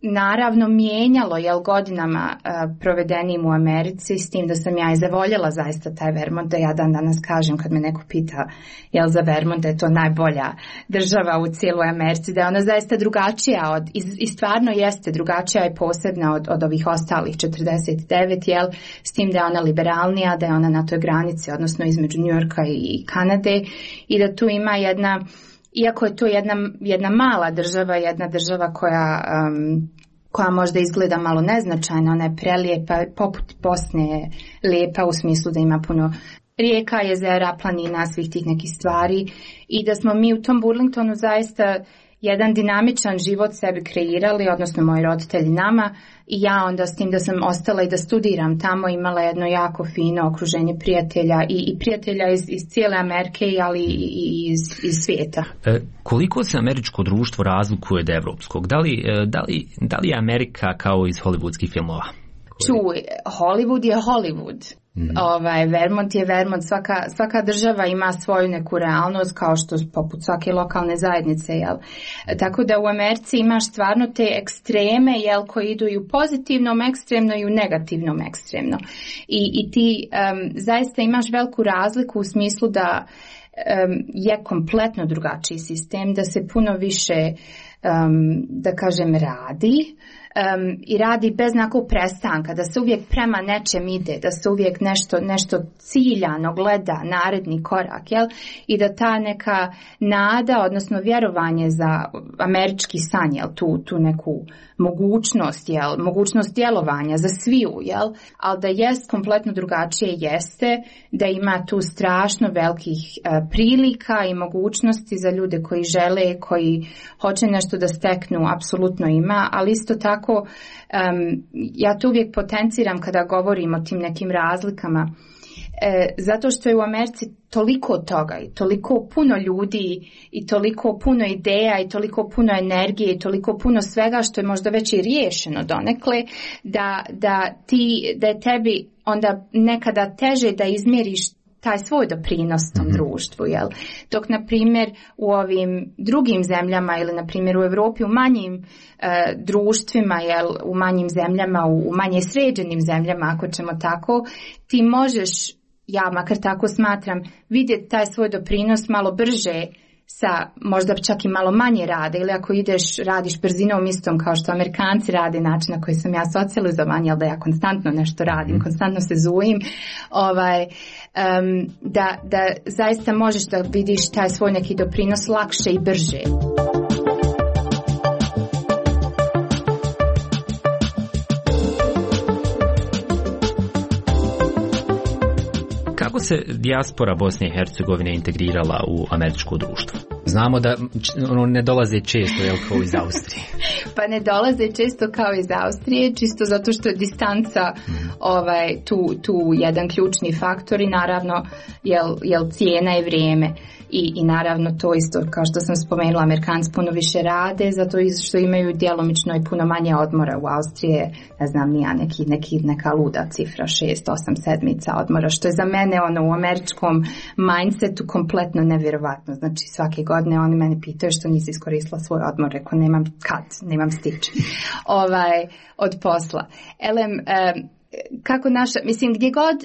naravno mijenjalo godinama provedenim u Americi, s tim da sam ja i zavoljela zaista taj Vermont, da ja dan danas kažem kad me neko pita za Vermont da je to najbolja država u cijeloj Americi, da je ona zaista drugačija i stvarno jeste drugačija i posebna od ovih ostalih 49, s tim da je ona liberalnija, da je ona na toj granici, odnosno između Njujorka i Kanade, i da tu ima iako je to jedna mala država, jedna država koja možda izgleda malo neznačajna, ona je prelijepa, poput Bosne je lijepa u smislu da ima puno rijeka, jezera, planina, svih tih nekih stvari, i da smo mi u tom Burlingtonu zaista jedan dinamičan život sebi kreirali, odnosno moji roditelji nama, i ja onda s tim da sam ostala i da studiram tamo, imala jedno jako fino okruženje prijatelja i prijatelja iz cijele Amerike, ali i iz svijeta. Koliko se američko društvo razlikuje od evropskog? Da li je Amerika kao iz hollywoodskih filmova? Čuj, Hollywood je Hollywood. Vermont je Vermont, svaka država ima svoju neku realnost, kao što poput svake lokalne zajednice, tako da u Americi imaš stvarno te ekstreme, koji idu i u pozitivnom ekstremno i u negativnom ekstremno, i ti zaista imaš veliku razliku u smislu da je kompletno drugačiji sistem, da se puno više da kažem radi, i radi bez nekog prestanka, da se uvijek prema nečem ide, da se uvijek nešto ciljano gleda, naredni korak, i da ta neka nada, odnosno vjerovanje za američki san, tu neku mogućnost djelovanja za sviju, ali da jest kompletno drugačije, jeste da ima tu strašno velikih prilika i mogućnosti za ljude koji žele, koji hoće nešto da steknu, apsolutno ima, ali isto tako ja to uvijek potenciram kada govorim o tim nekim razlikama, zato što je u Americi toliko toga i toliko puno ljudi i toliko puno ideja i toliko puno energije i toliko puno svega što je možda već i riješeno donekle, da je tebi onda nekada teže da izmjeriš taj svoj doprinos tom društvu, jel? Dok, na primjer, u ovim drugim zemljama ili, na primjer, u Europi u manjim društvima, jel, u manjim zemljama, u manje sređenim zemljama, ako ćemo tako, ti možeš, ja makar tako smatram, vidjeti taj svoj doprinos malo brže sa možda čak i malo manje rade, ili ako radiš brzinom istom kao što Amerikanci rade, način na koji sam ja socijalizovan, jel, da ja konstantno nešto radim, konstantno se zujim, da zaista možeš da vidiš taj svoj neki doprinos lakše i brže. Kako se dijaspora Bosne i Hercegovine integrirala u američko društvo? Znamo da ne dolaze često, jel, kao iz Austrije. Pa ne dolaze često kao iz Austrije, čisto zato što je distanca tu jedan ključni faktor i naravno jel cijena i vrijeme. I naravno to isto, kao što sam spomenula, Amerikanci puno više rade, zato što imaju djelomično i puno manje odmora. U Austrije, ne znam, neka luda cifra, 6-8 sedmica odmora, što je za mene u američkom mindsetu kompletno nevjerovatno. Znači svake godine oni mene pitaju što nisi iskoristila svoj odmor, rekao nemam stić od posla. Kako gdje god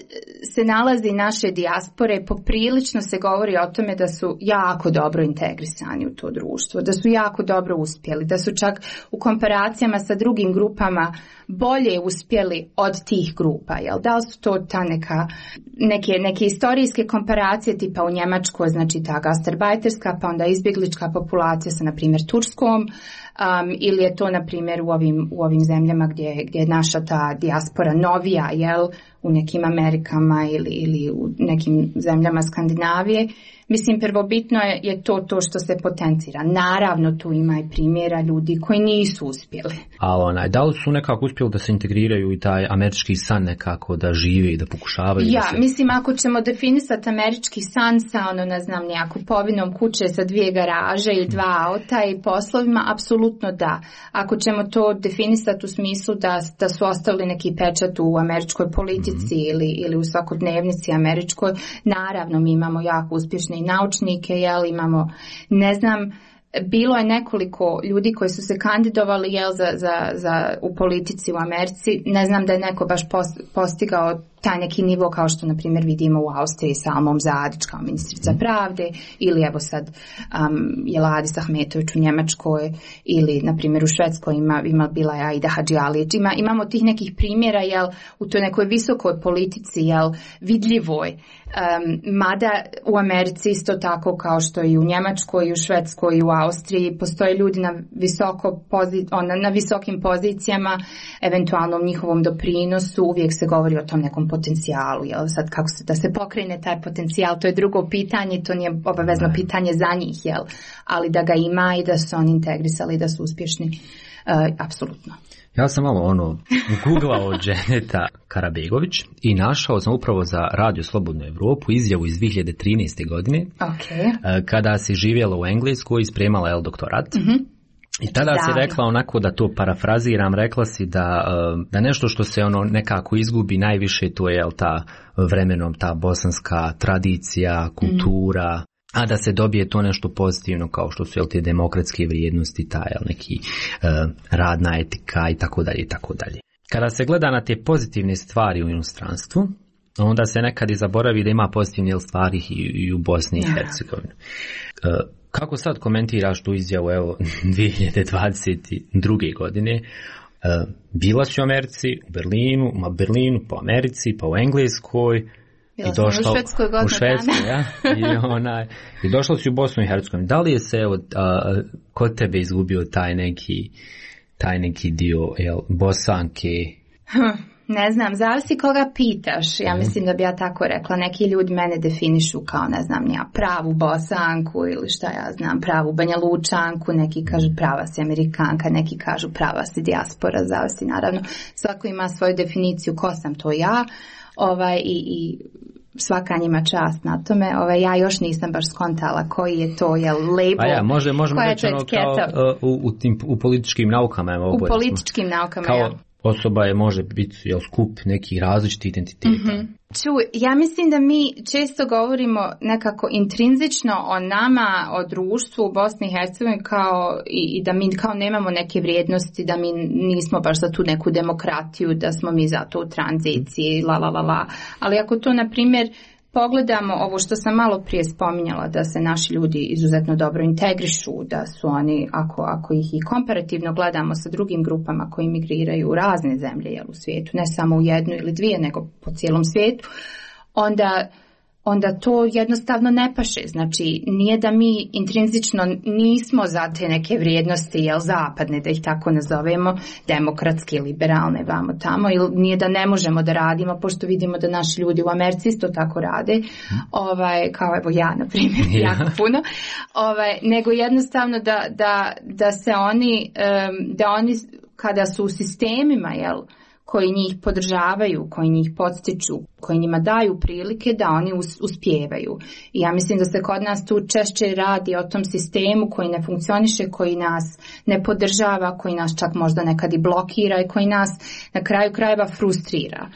se nalazi naše dijaspore, poprilično se govori o tome da su jako dobro integrisani u to društvo, da su jako dobro uspjeli, da su čak u komparacijama sa drugim grupama bolje uspjeli od tih grupa. Jel? Da li su to ta neke istorijske komparacije, tipa u Njemačkoj, znači ta gastarbajterska, pa onda izbjeglička populacija sa, na primjer, Turskom, ili je to, na primjer, u ovim zemljama gdje je naša ta dijaspora novija, jel, u nekim Amerikama ili u nekim zemljama Skandinavije. Mislim, prvobitno je to što se potencira. Naravno, tu ima i primjera ljudi koji nisu uspjeli. A da li su nekako uspjeli da se integriraju i taj američki san nekako da žive i da pokušavaju? Mislim, ako ćemo definisati američki san sa neku povinom kuće sa 2 garaže i 2 auta i poslovima, apsolutno da. Ako ćemo to definisati u smislu da su ostavili neki pečat u američkoj politici ili u svakodnevnici američkoj, naravno mi imamo jako uspješne i naučnike, imamo, ne znam, bilo je nekoliko ljudi koji su se kandidovali u politici u Americi. Ne znam da je neko baš postigao taj neki nivo kao što, na primjer, vidimo u Austriji sa Almom Zadić kao ministrica pravde, ili evo sad Jeladis Ahmetović u Njemačkoj, ili, na primjer, u Švedskoj bila je Aida Hadžialić. Imamo tih nekih primjera, u toj nekoj visokoj politici, vidljivoj. Mada u Americi isto tako kao što i u Njemačkoj, i u Švedskoj, i u Austriji postoje ljudi na visokim pozicijama, eventualno u njihovom doprinosu, uvijek se govori o tom nekom potencijalu. Sad kako da se pokrene taj potencijal, to je drugo pitanje, to nije obavezno pitanje za njih, ali da ga ima i da su oni integrisali, da su uspješni, apsolutno. Ja sam malo googlao Dženeta Karabegović i našao sam upravo za Radio Slobodnu Evropu izjavu iz 2013. godine, kada si živjela u Engleskoj i spremala doktorat. I tada si rekla onako, da to parafraziram, rekla si da nešto što se nekako izgubi najviše, to je ta vremenom ta bosanska tradicija, kultura, a da se dobije to nešto pozitivno kao što su te demokratske vrijednosti, neki radna etika i tako dalje i tako dalje. Kada se gleda na te pozitivne stvari u inostranstvu, onda se nekad i zaboravi da ima pozitivne stvari i u Bosni i Hercegovini. Kako sad komentiraš tu izjavu 2022. godine? Bila si u Americi, u Berlinu, po Americi, pa u Engleskoj, bila sam u Švedskoj i došla si u Bosnu i Hercegovinu. Da li je se kod tebe izgubio taj neki dio Bosanke? Ne znam, zavisi koga pitaš. Ja mislim da bi ja tako rekla. Neki ljudi mene definišu kao, ne znam, pravu Bosanku ili šta ja znam, pravu Banja Lučanku, neki kažu prava si Amerikanka, neki kažu prava si dijaspora, zavisi naravno. Svako ima svoju definiciju ko sam to ja, i svaka njima čast na tome. Ja još nisam baš skontala koji je to label. Možemo reći kao u političkim naukama. U političkim naukama, kao osoba može biti skup nekih različitih identiteta. Ja mislim da mi često govorimo nekako intrinzično o nama, o društvu u Bosni i Hercegovini i da mi kao nemamo neke vrijednosti, da mi nismo baš za tu neku demokratiju, da smo mi zato u tranziciji, ali ako to, na primjer, pogledamo ovo što sam malo prije spominjala, da se naši ljudi izuzetno dobro integrišu, da su oni, ako ih i komparativno gledamo sa drugim grupama koji migriraju u razne zemlje u svijetu, ne samo u jednu ili dvije, nego po cijelom svijetu, onda to jednostavno ne paše. Znači, nije da mi intrinzično nismo za te neke vrijednosti, zapadne, da ih tako nazovemo, demokratske, liberalne, vamo tamo, ili nije da ne možemo da radimo, pošto vidimo da naši ljudi u Americi isto tako rade, kao evo ja, na primjer, jako puno, nego jednostavno da se oni, kada su u sistemima, koji njih podržavaju, koji njih podstiču, koji njima daju prilike da oni uspijevaju. I ja mislim da se kod nas tu češće radi o tom sistemu koji ne funkcioniše, koji nas ne podržava, koji nas čak možda nekad i blokira i koji nas na kraju krajeva frustrira.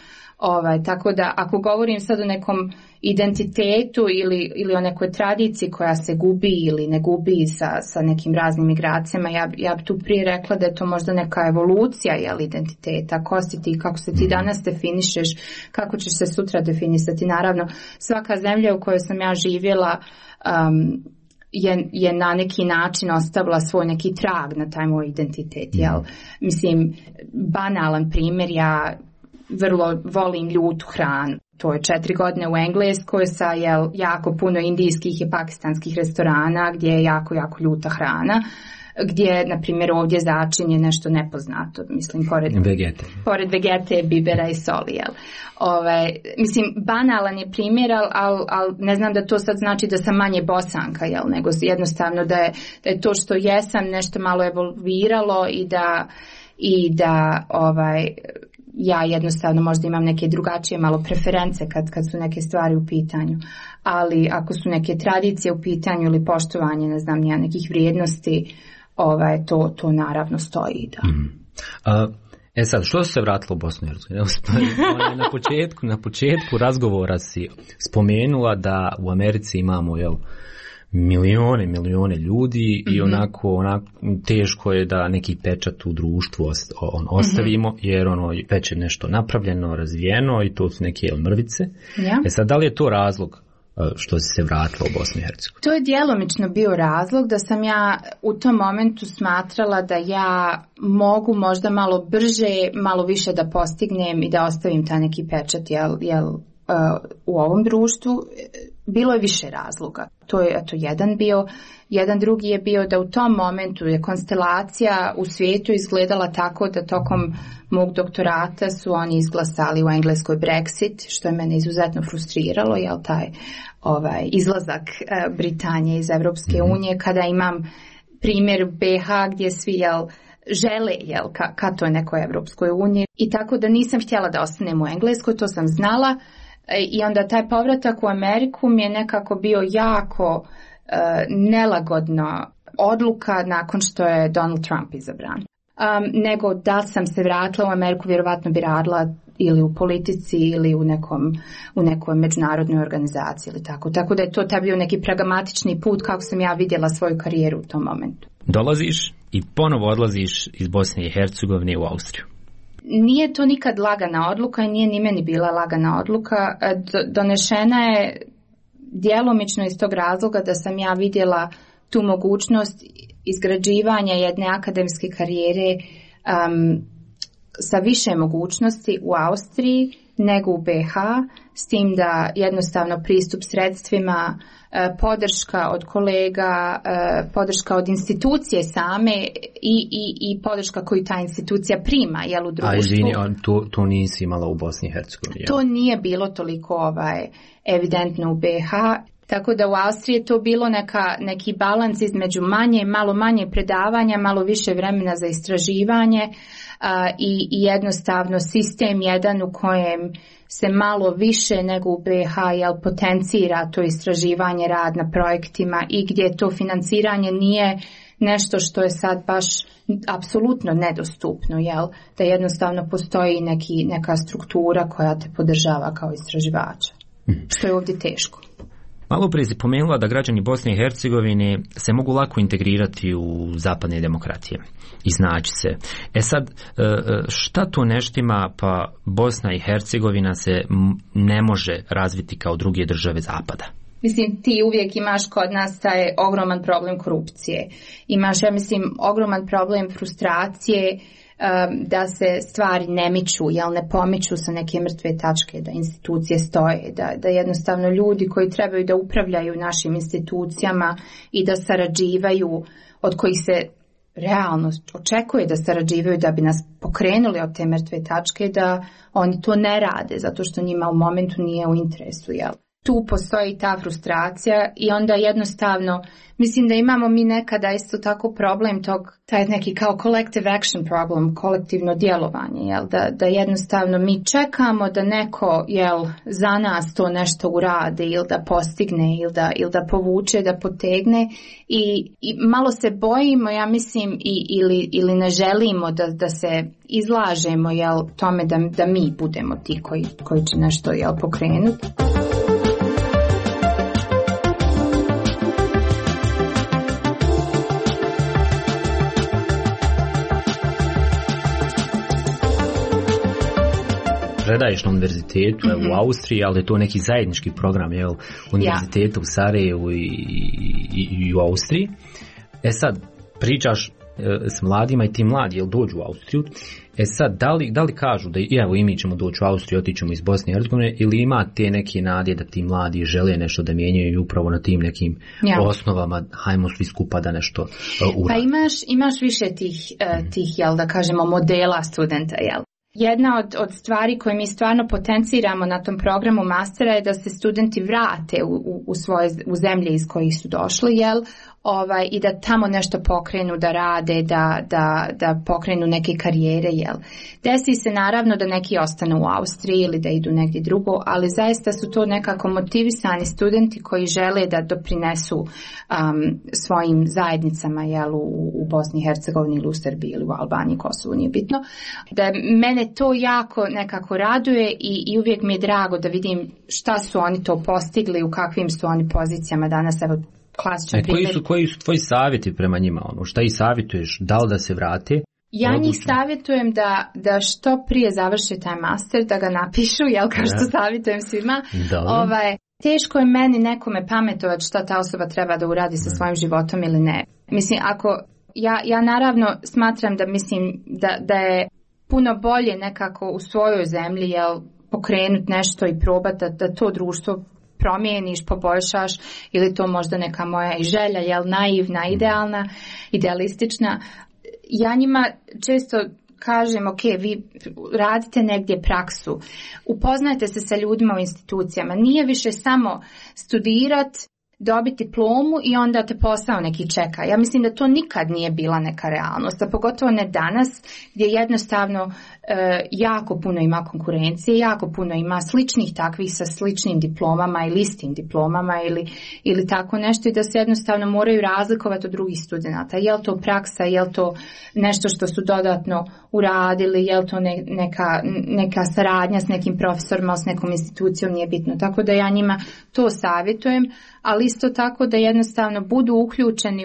Tako da ako govorim sad o nekom identitetu ili o nekoj tradiciji koja se gubi ili ne gubi sa nekim raznim migracijama, ja bi tu prije rekla da je to možda neka evolucija identiteta, ko si ti, kako se ti danas definišeš, kako ćeš se sutra definisati. Naravno, svaka zemlja u kojoj sam ja živjela je na neki način ostavila svoj neki trag na taj moj identitet. Mislim, banalan primjer, ja vrlo volim ljutu hranu. To je 4 godine u Engleskoj sa jako puno indijskih i pakistanskih restorana gdje je jako, jako ljuta hrana, gdje, na primjer, ovdje začinje nešto nepoznato, mislim, pored vegete, bibera i soli. Mislim, banalan je primjer, ali ne znam da to sad znači da sam manje Bosanka, nego jednostavno da je to što jesam nešto malo evolviralo i da ja jednostavno možda imam neke drugačije malo preference kad su neke stvari u pitanju. Ali ako su neke tradicije u pitanju ili poštovanje, ne znam, nekih vrijednosti, to naravno stoji. Da. Sad, što se vratilo u Bosnu i Hercegovinu? Na početku razgovora si spomenula da u Americi imamo, milijone ljudi i onako teško je da neki pečat u društvu ostavimo, jer već je nešto napravljeno, razvijeno i to su neke mrvice. Sad, da li je to razlog što si se vratila u Bosnu i Hercegovinu? To je djelomično bio razlog da sam ja u tom momentu smatrala da ja mogu možda malo brže, malo više da postignem i da ostavim taj neki pečat, u ovom društvu. Bilo je više razloga. To je jedan bio. Jedan drugi je bio da u tom momentu je konstelacija u svijetu izgledala tako da tokom mog doktorata su oni izglasali u Engleskoj Brexit, što je mene izuzetno frustriralo, taj izlazak Britanije iz Europske unije, kada imam primjer BiH gdje svi žele ka toj nekoj Europskoj uniji, i tako da nisam htjela da ostanem u Engleskoj, to sam znala. I onda taj povratak u Ameriku mi je nekako bio jako nelagodna odluka nakon što je Donald Trump izabran. Nego da sam se vratila u Ameriku, vjerovatno bi radila ili u politici ili u nekoj međunarodnoj organizaciji ili tako. Tako da je to taj bio neki pragmatični put kako sam ja vidjela svoju karijeru u tom momentu. Dolaziš i ponovo odlaziš iz Bosne i Hercegovine u Austriju. Nije to nikad lagana odluka i nije ni meni bila lagana odluka. Donešena je djelomično iz tog razloga da sam ja vidjela tu mogućnost izgrađivanja jedne akademske karijere sa više mogućnosti u Austriji nego u BiH, s tim da jednostavno pristup sredstvima, podrška od kolega, podrška od institucije same i podrška koju ta institucija prima u društvu. A izvini, to nisi imala u Bosni i Hercegovini? To nije bilo toliko evidentno u BiH. Tako da u Austriji je to bilo neki balans između malo manje predavanja, malo više vremena za istraživanje i jednostavno sistem jedan u kojem se malo više nego u BiH potencira to istraživanje, rad na projektima i gdje to financiranje nešto što je sad baš apsolutno nedostupno, jel? Da jednostavno postoji neka struktura koja te podržava kao istraživača, što je ovdje teško. Malo prije si pomenula da građani Bosne i Hercegovine se mogu lako integrirati u zapadne demokratije, iznaći se. Sad, šta to ne štima, pa Bosna i Hercegovina se ne može razviti kao druge države zapada? Mislim, ti uvijek imaš kod nas taj ogroman problem korupcije. Imaš, ja mislim, ogroman problem frustracije, da se stvari ne miču, jel ne pomiču sa neke mrtve tačke, da institucije stoje, da jednostavno ljudi koji trebaju da upravljaju našim institucijama i da sarađivaju, od kojih se realno očekuje da sarađivaju da bi nas pokrenuli od te mrtve tačke, da oni to ne rade, zato što njima u momentu nije u interesu, jel? Tu postoji ta frustracija i onda jednostavno, mislim da imamo mi nekada isto tako problem taj neki kao collective action problem, kolektivno djelovanje, jel? Da jednostavno mi čekamo da neko, jel, za nas to nešto uradi ili da postigne ili da povuče, da potegne i malo se bojimo, ja mislim, ili ne želimo da se izlažemo, jel, tome da mi budemo ti koji će nešto, jel, pokrenuti. Predaješ na univerzitetu u Austriji, ali je to neki zajednički program, univerziteta u Sarajevu i u Austriji. Sad, pričaš s mladima i ti mladi, dođu u Austriju. Sad, da li kažu da i mi ćemo doći u Austriju, otićemo iz Bosne i Hercegovine, ili ima te neke nade da ti mladi žele nešto da mijenjaju i upravo na tim nekim osnovama, hajmo svi skupa da nešto uradi? Pa imaš više tih, jel, da kažemo, modela studenta, jel? Jedna od stvari koje mi stvarno potenciramo na tom programu mastera je da se studenti vrate u zemlje iz kojih su došli, jel? I da tamo nešto pokrenu, da rade, da pokrenu neke karijere, jel? Desi se naravno da neki ostanu u Austriji ili da idu negdje drugo, ali zaista su to nekako motivisani studenti koji žele da doprinesu svojim zajednicama, jel, u Bosni i Hercegovini ili u Srbiji ili u Albaniji, Kosovu, nije bitno. Da mene to jako nekako raduje i uvijek mi je drago da vidim šta su oni to postigli, u kakvim su oni pozicijama danas, evo, koji su tvoji savjeti prema njima? Šta ih savjetuješ? Da li da se vrate? Ja njih savjetujem da što prije završe taj master, da ga napišu, jel, kao što savjetujem svima. Teško je meni nekome pametovati šta ta osoba treba da uradi sa svojim životom ili ne. Mislim, ja naravno smatram da mislim da je puno bolje nekako u svojoj zemlji, jel, pokrenuti nešto i probati da to društvo promijeniš, poboljšaš, ili to možda neka moja i želja, jel, naivna, idealna, idealistična. Ja njima često kažem, ok, vi radite negdje praksu, upoznajte se sa ljudima u institucijama, nije više samo studirati, dobiti diplomu i onda te posao neki čeka. Ja mislim da to nikad nije bila neka realnost, a pogotovo ne danas gdje jednostavno jako puno ima konkurencije, jako puno ima sličnih takvih sa sličnim diplomama ili istim diplomama ili tako nešto i da se jednostavno moraju razlikovati od drugih studenata. Je li to praksa, je li to nešto što su dodatno uradili, je li to neka saradnja s nekim profesorima, s nekom institucijom, nije bitno. Tako da ja njima to savjetujem, ali isto tako da jednostavno budu uključeni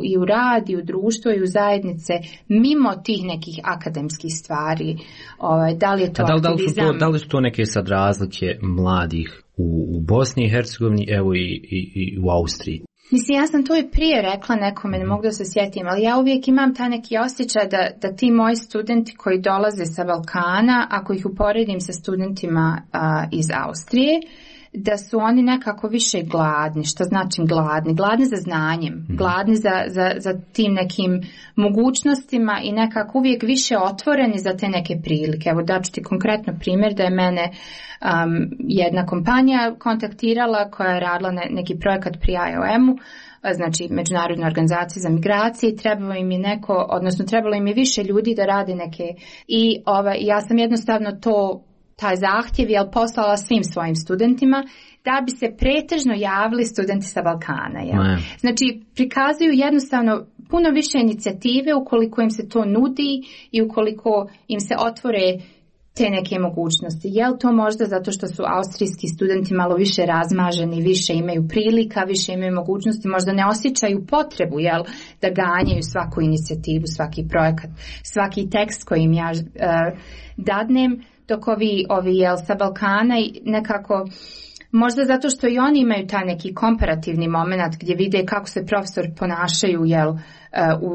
i u rad, i u društvo, i u zajednice, mimo tih nekih akademskih stvari. Da li je to aktivizam? Da li su to neke sad razlike mladih u Bosni i Hercegovini, evo i u Austriji? Mislim, ja sam to i prije rekla nekome, ne mogu da se sjetim, ali ja uvijek imam taj neki osjećaj da ti moji studenti koji dolaze sa Balkana, ako ih uporedim sa studentima iz Austrije, da su oni nekako više gladni. Što znači gladni? Gladni za znanjem, gladni za tim nekim mogućnostima i nekako uvijek više otvoreni za te neke prilike. Evo daću ti konkretno primjer da je mene jedna kompanija kontaktirala koja je radila neki projekat pri IOM-u, znači Međunarodnoj organizaciji za migracije, trebalo im je više ljudi da rade neke i ja sam jednostavno to taj zahtjev poslala svim svojim studentima da bi se pretežno javili studenti sa Balkana. Znači, prikazuju jednostavno puno više inicijative ukoliko im se to nudi i ukoliko im se otvore te neke mogućnosti. Je li to možda zato što su austrijski studenti malo više razmaženi, više imaju prilika, više imaju mogućnosti, možda ne osjećaju potrebu da ganjaju svaku inicijativu, svaki projekat, svaki tekst koji im ja dadnem, dok ovi sa Balkana nekako, možda zato što i oni imaju taj neki komparativni moment gdje vide kako se profesori ponašaju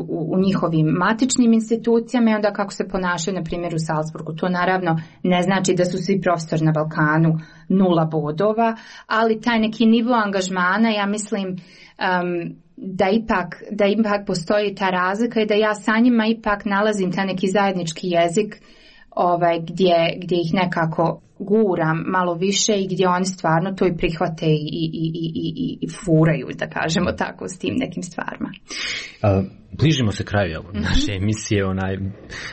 u njihovim matičnim institucijama i onda kako se ponašaju, na primjer, u Salzburgu. To naravno ne znači da su svi profesori na Balkanu 0 bodova, ali taj neki nivo angažmana, ja mislim da ipak postoji ta razlika i da ja sa njima ipak nalazim taj neki zajednički jezik gdje ih nekako guram malo više i gdje oni stvarno to i prihvate i furaju, da kažemo tako, s tim nekim stvarima. Bližimo se kraju naše emisije.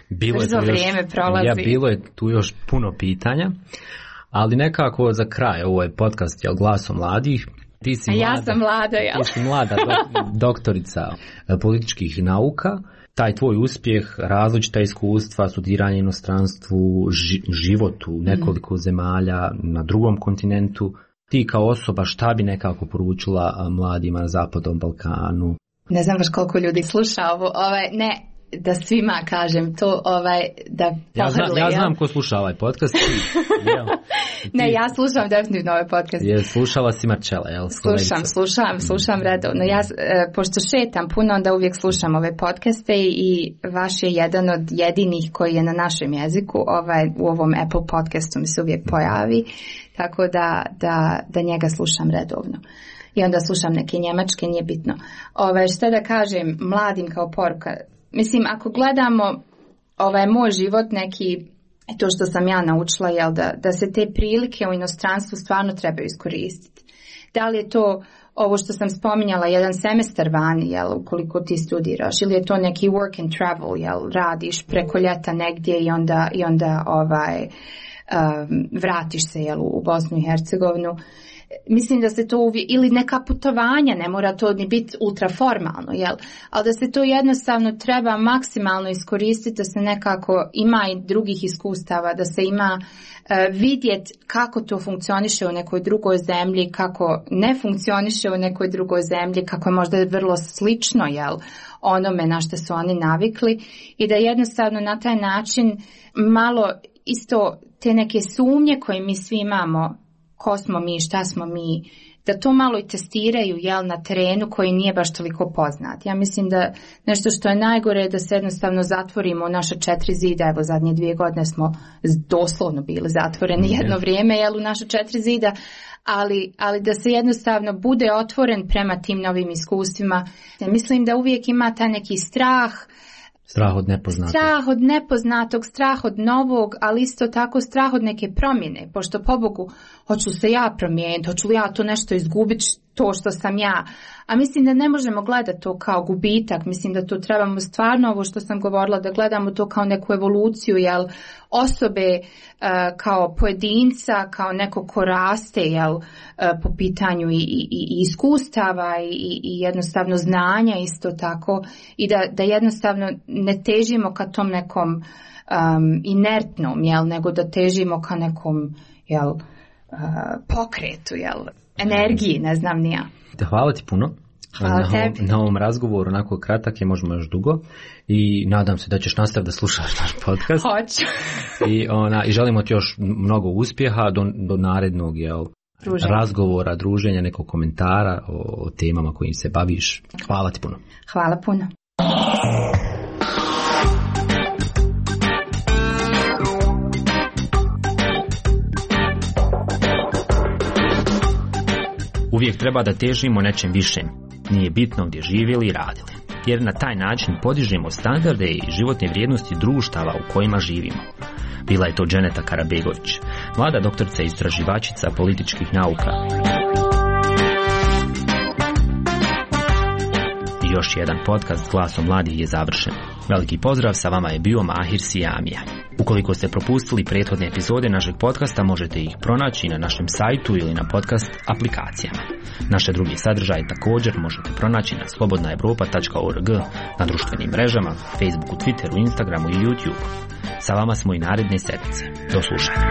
Bilo je tu još puno pitanja, ali nekako za kraj, ovo je podcast Glasom mladih. Ti si mlada, ja sam mlada, Ti si mlada doktorica političkih nauka. Taj tvoj uspjeh, različita iskustva, studiranje u inostranstvu, život u nekoliko zemalja na drugom kontinentu, ti kao osoba šta bi nekako poručila mladima na Zapadnom Balkanu? Ne znam baš koliko ljudi sluša ovo, da svima kažem to, da pohrli. Ja znam ko sluša ovaj podcast. Ne, ja slušam definitivno ovaj podcast. Slušala si Marčela, jel? Slušam redovno. Ja, pošto šetam puno, onda uvijek slušam ove podcaste i vaš je jedan od jedinih koji je na našem jeziku. U ovom Apple podcastu mi se uvijek pojavi, tako da njega slušam redovno. I onda slušam neke njemačke, nije bitno. Šta da kažem mladim kao poruka? Mislim, ako gledamo moj život neki, to što sam ja naučila, da se te prilike u inostranstvu stvarno trebaju iskoristiti. Da li je to ovo što sam spominjala, jedan semestar vani, ukoliko ti studiraš, ili je to neki work and travel, radiš preko ljeta negdje i onda vratiš se u Bosnu i Hercegovinu. Mislim da se to ili neka putovanja, ne mora to ni biti ultraformalno, ali da se to jednostavno treba maksimalno iskoristiti, da se nekako ima i drugih iskustava, da se ima vidjeti kako to funkcioniše u nekoj drugoj zemlji, kako ne funkcioniše u nekoj drugoj zemlji, kako je možda vrlo slično onome na što su oni navikli i da jednostavno na taj način malo isto te neke sumnje koje mi svi imamo, ko smo mi, šta smo mi, da to malo i testiraju na terenu koji nije baš toliko poznat. Ja mislim da nešto što je najgore je da se jednostavno zatvorimo u naša 4 zida. Evo, zadnje 2 godine smo doslovno bili zatvoreni jedno vrijeme u naša 4 zida, ali da se jednostavno bude otvoren prema tim novim iskustvima. Ja mislim da uvijek ima taj neki strah, strah od nepoznatog, strah od novog, ali isto tako strah od neke promjene, pošto pobogu, hoću se ja promijeniti, hoću li ja to nešto izgubiti, to što sam ja. A mislim da ne možemo gledati to kao gubitak, mislim da to trebamo stvarno, ovo što sam govorila, da gledamo to kao neku evoluciju, osobe kao pojedinca, kao neko ko raste, po pitanju i iskustava i jednostavno znanja isto tako, i da jednostavno ne težimo ka tom nekom inertnom, nego da težimo ka nekom pokretu, energiji, ne znam ni ja. Hvala ti puno. Na ovom razgovoru, onako kratak je, možemo još dugo, i nadam se da ćeš nastaviti da slušaš naš podcast. Hoću. I želimo ti još mnogo uspjeha do narednog razgovora, druženja, nekog komentara o temama kojim se baviš. Hvala ti puno. Hvala puno. Uvijek treba da težimo nečem višem. Nije bitno gdje živjeli i radili, jer na taj način podižemo standarde i životne vrijednosti društava u kojima živimo. Bila je to Dženeta Karabegović, mlada doktorica i istraživačica političkih nauka. I još jedan podcast Glasom mladih je završen. Veliki pozdrav, sa vama je bio Mahir Sijamija. Ukoliko ste propustili prethodne epizode našeg podcasta, možete ih pronaći na našem sajtu ili na podcast aplikacijama. Naše druge sadržaje također možete pronaći na slobodnaevropa.org, na društvenim mrežama, Facebooku, Twitteru, Instagramu i YouTubeu. Sa vama smo i naredne sedmice. Do slušanja.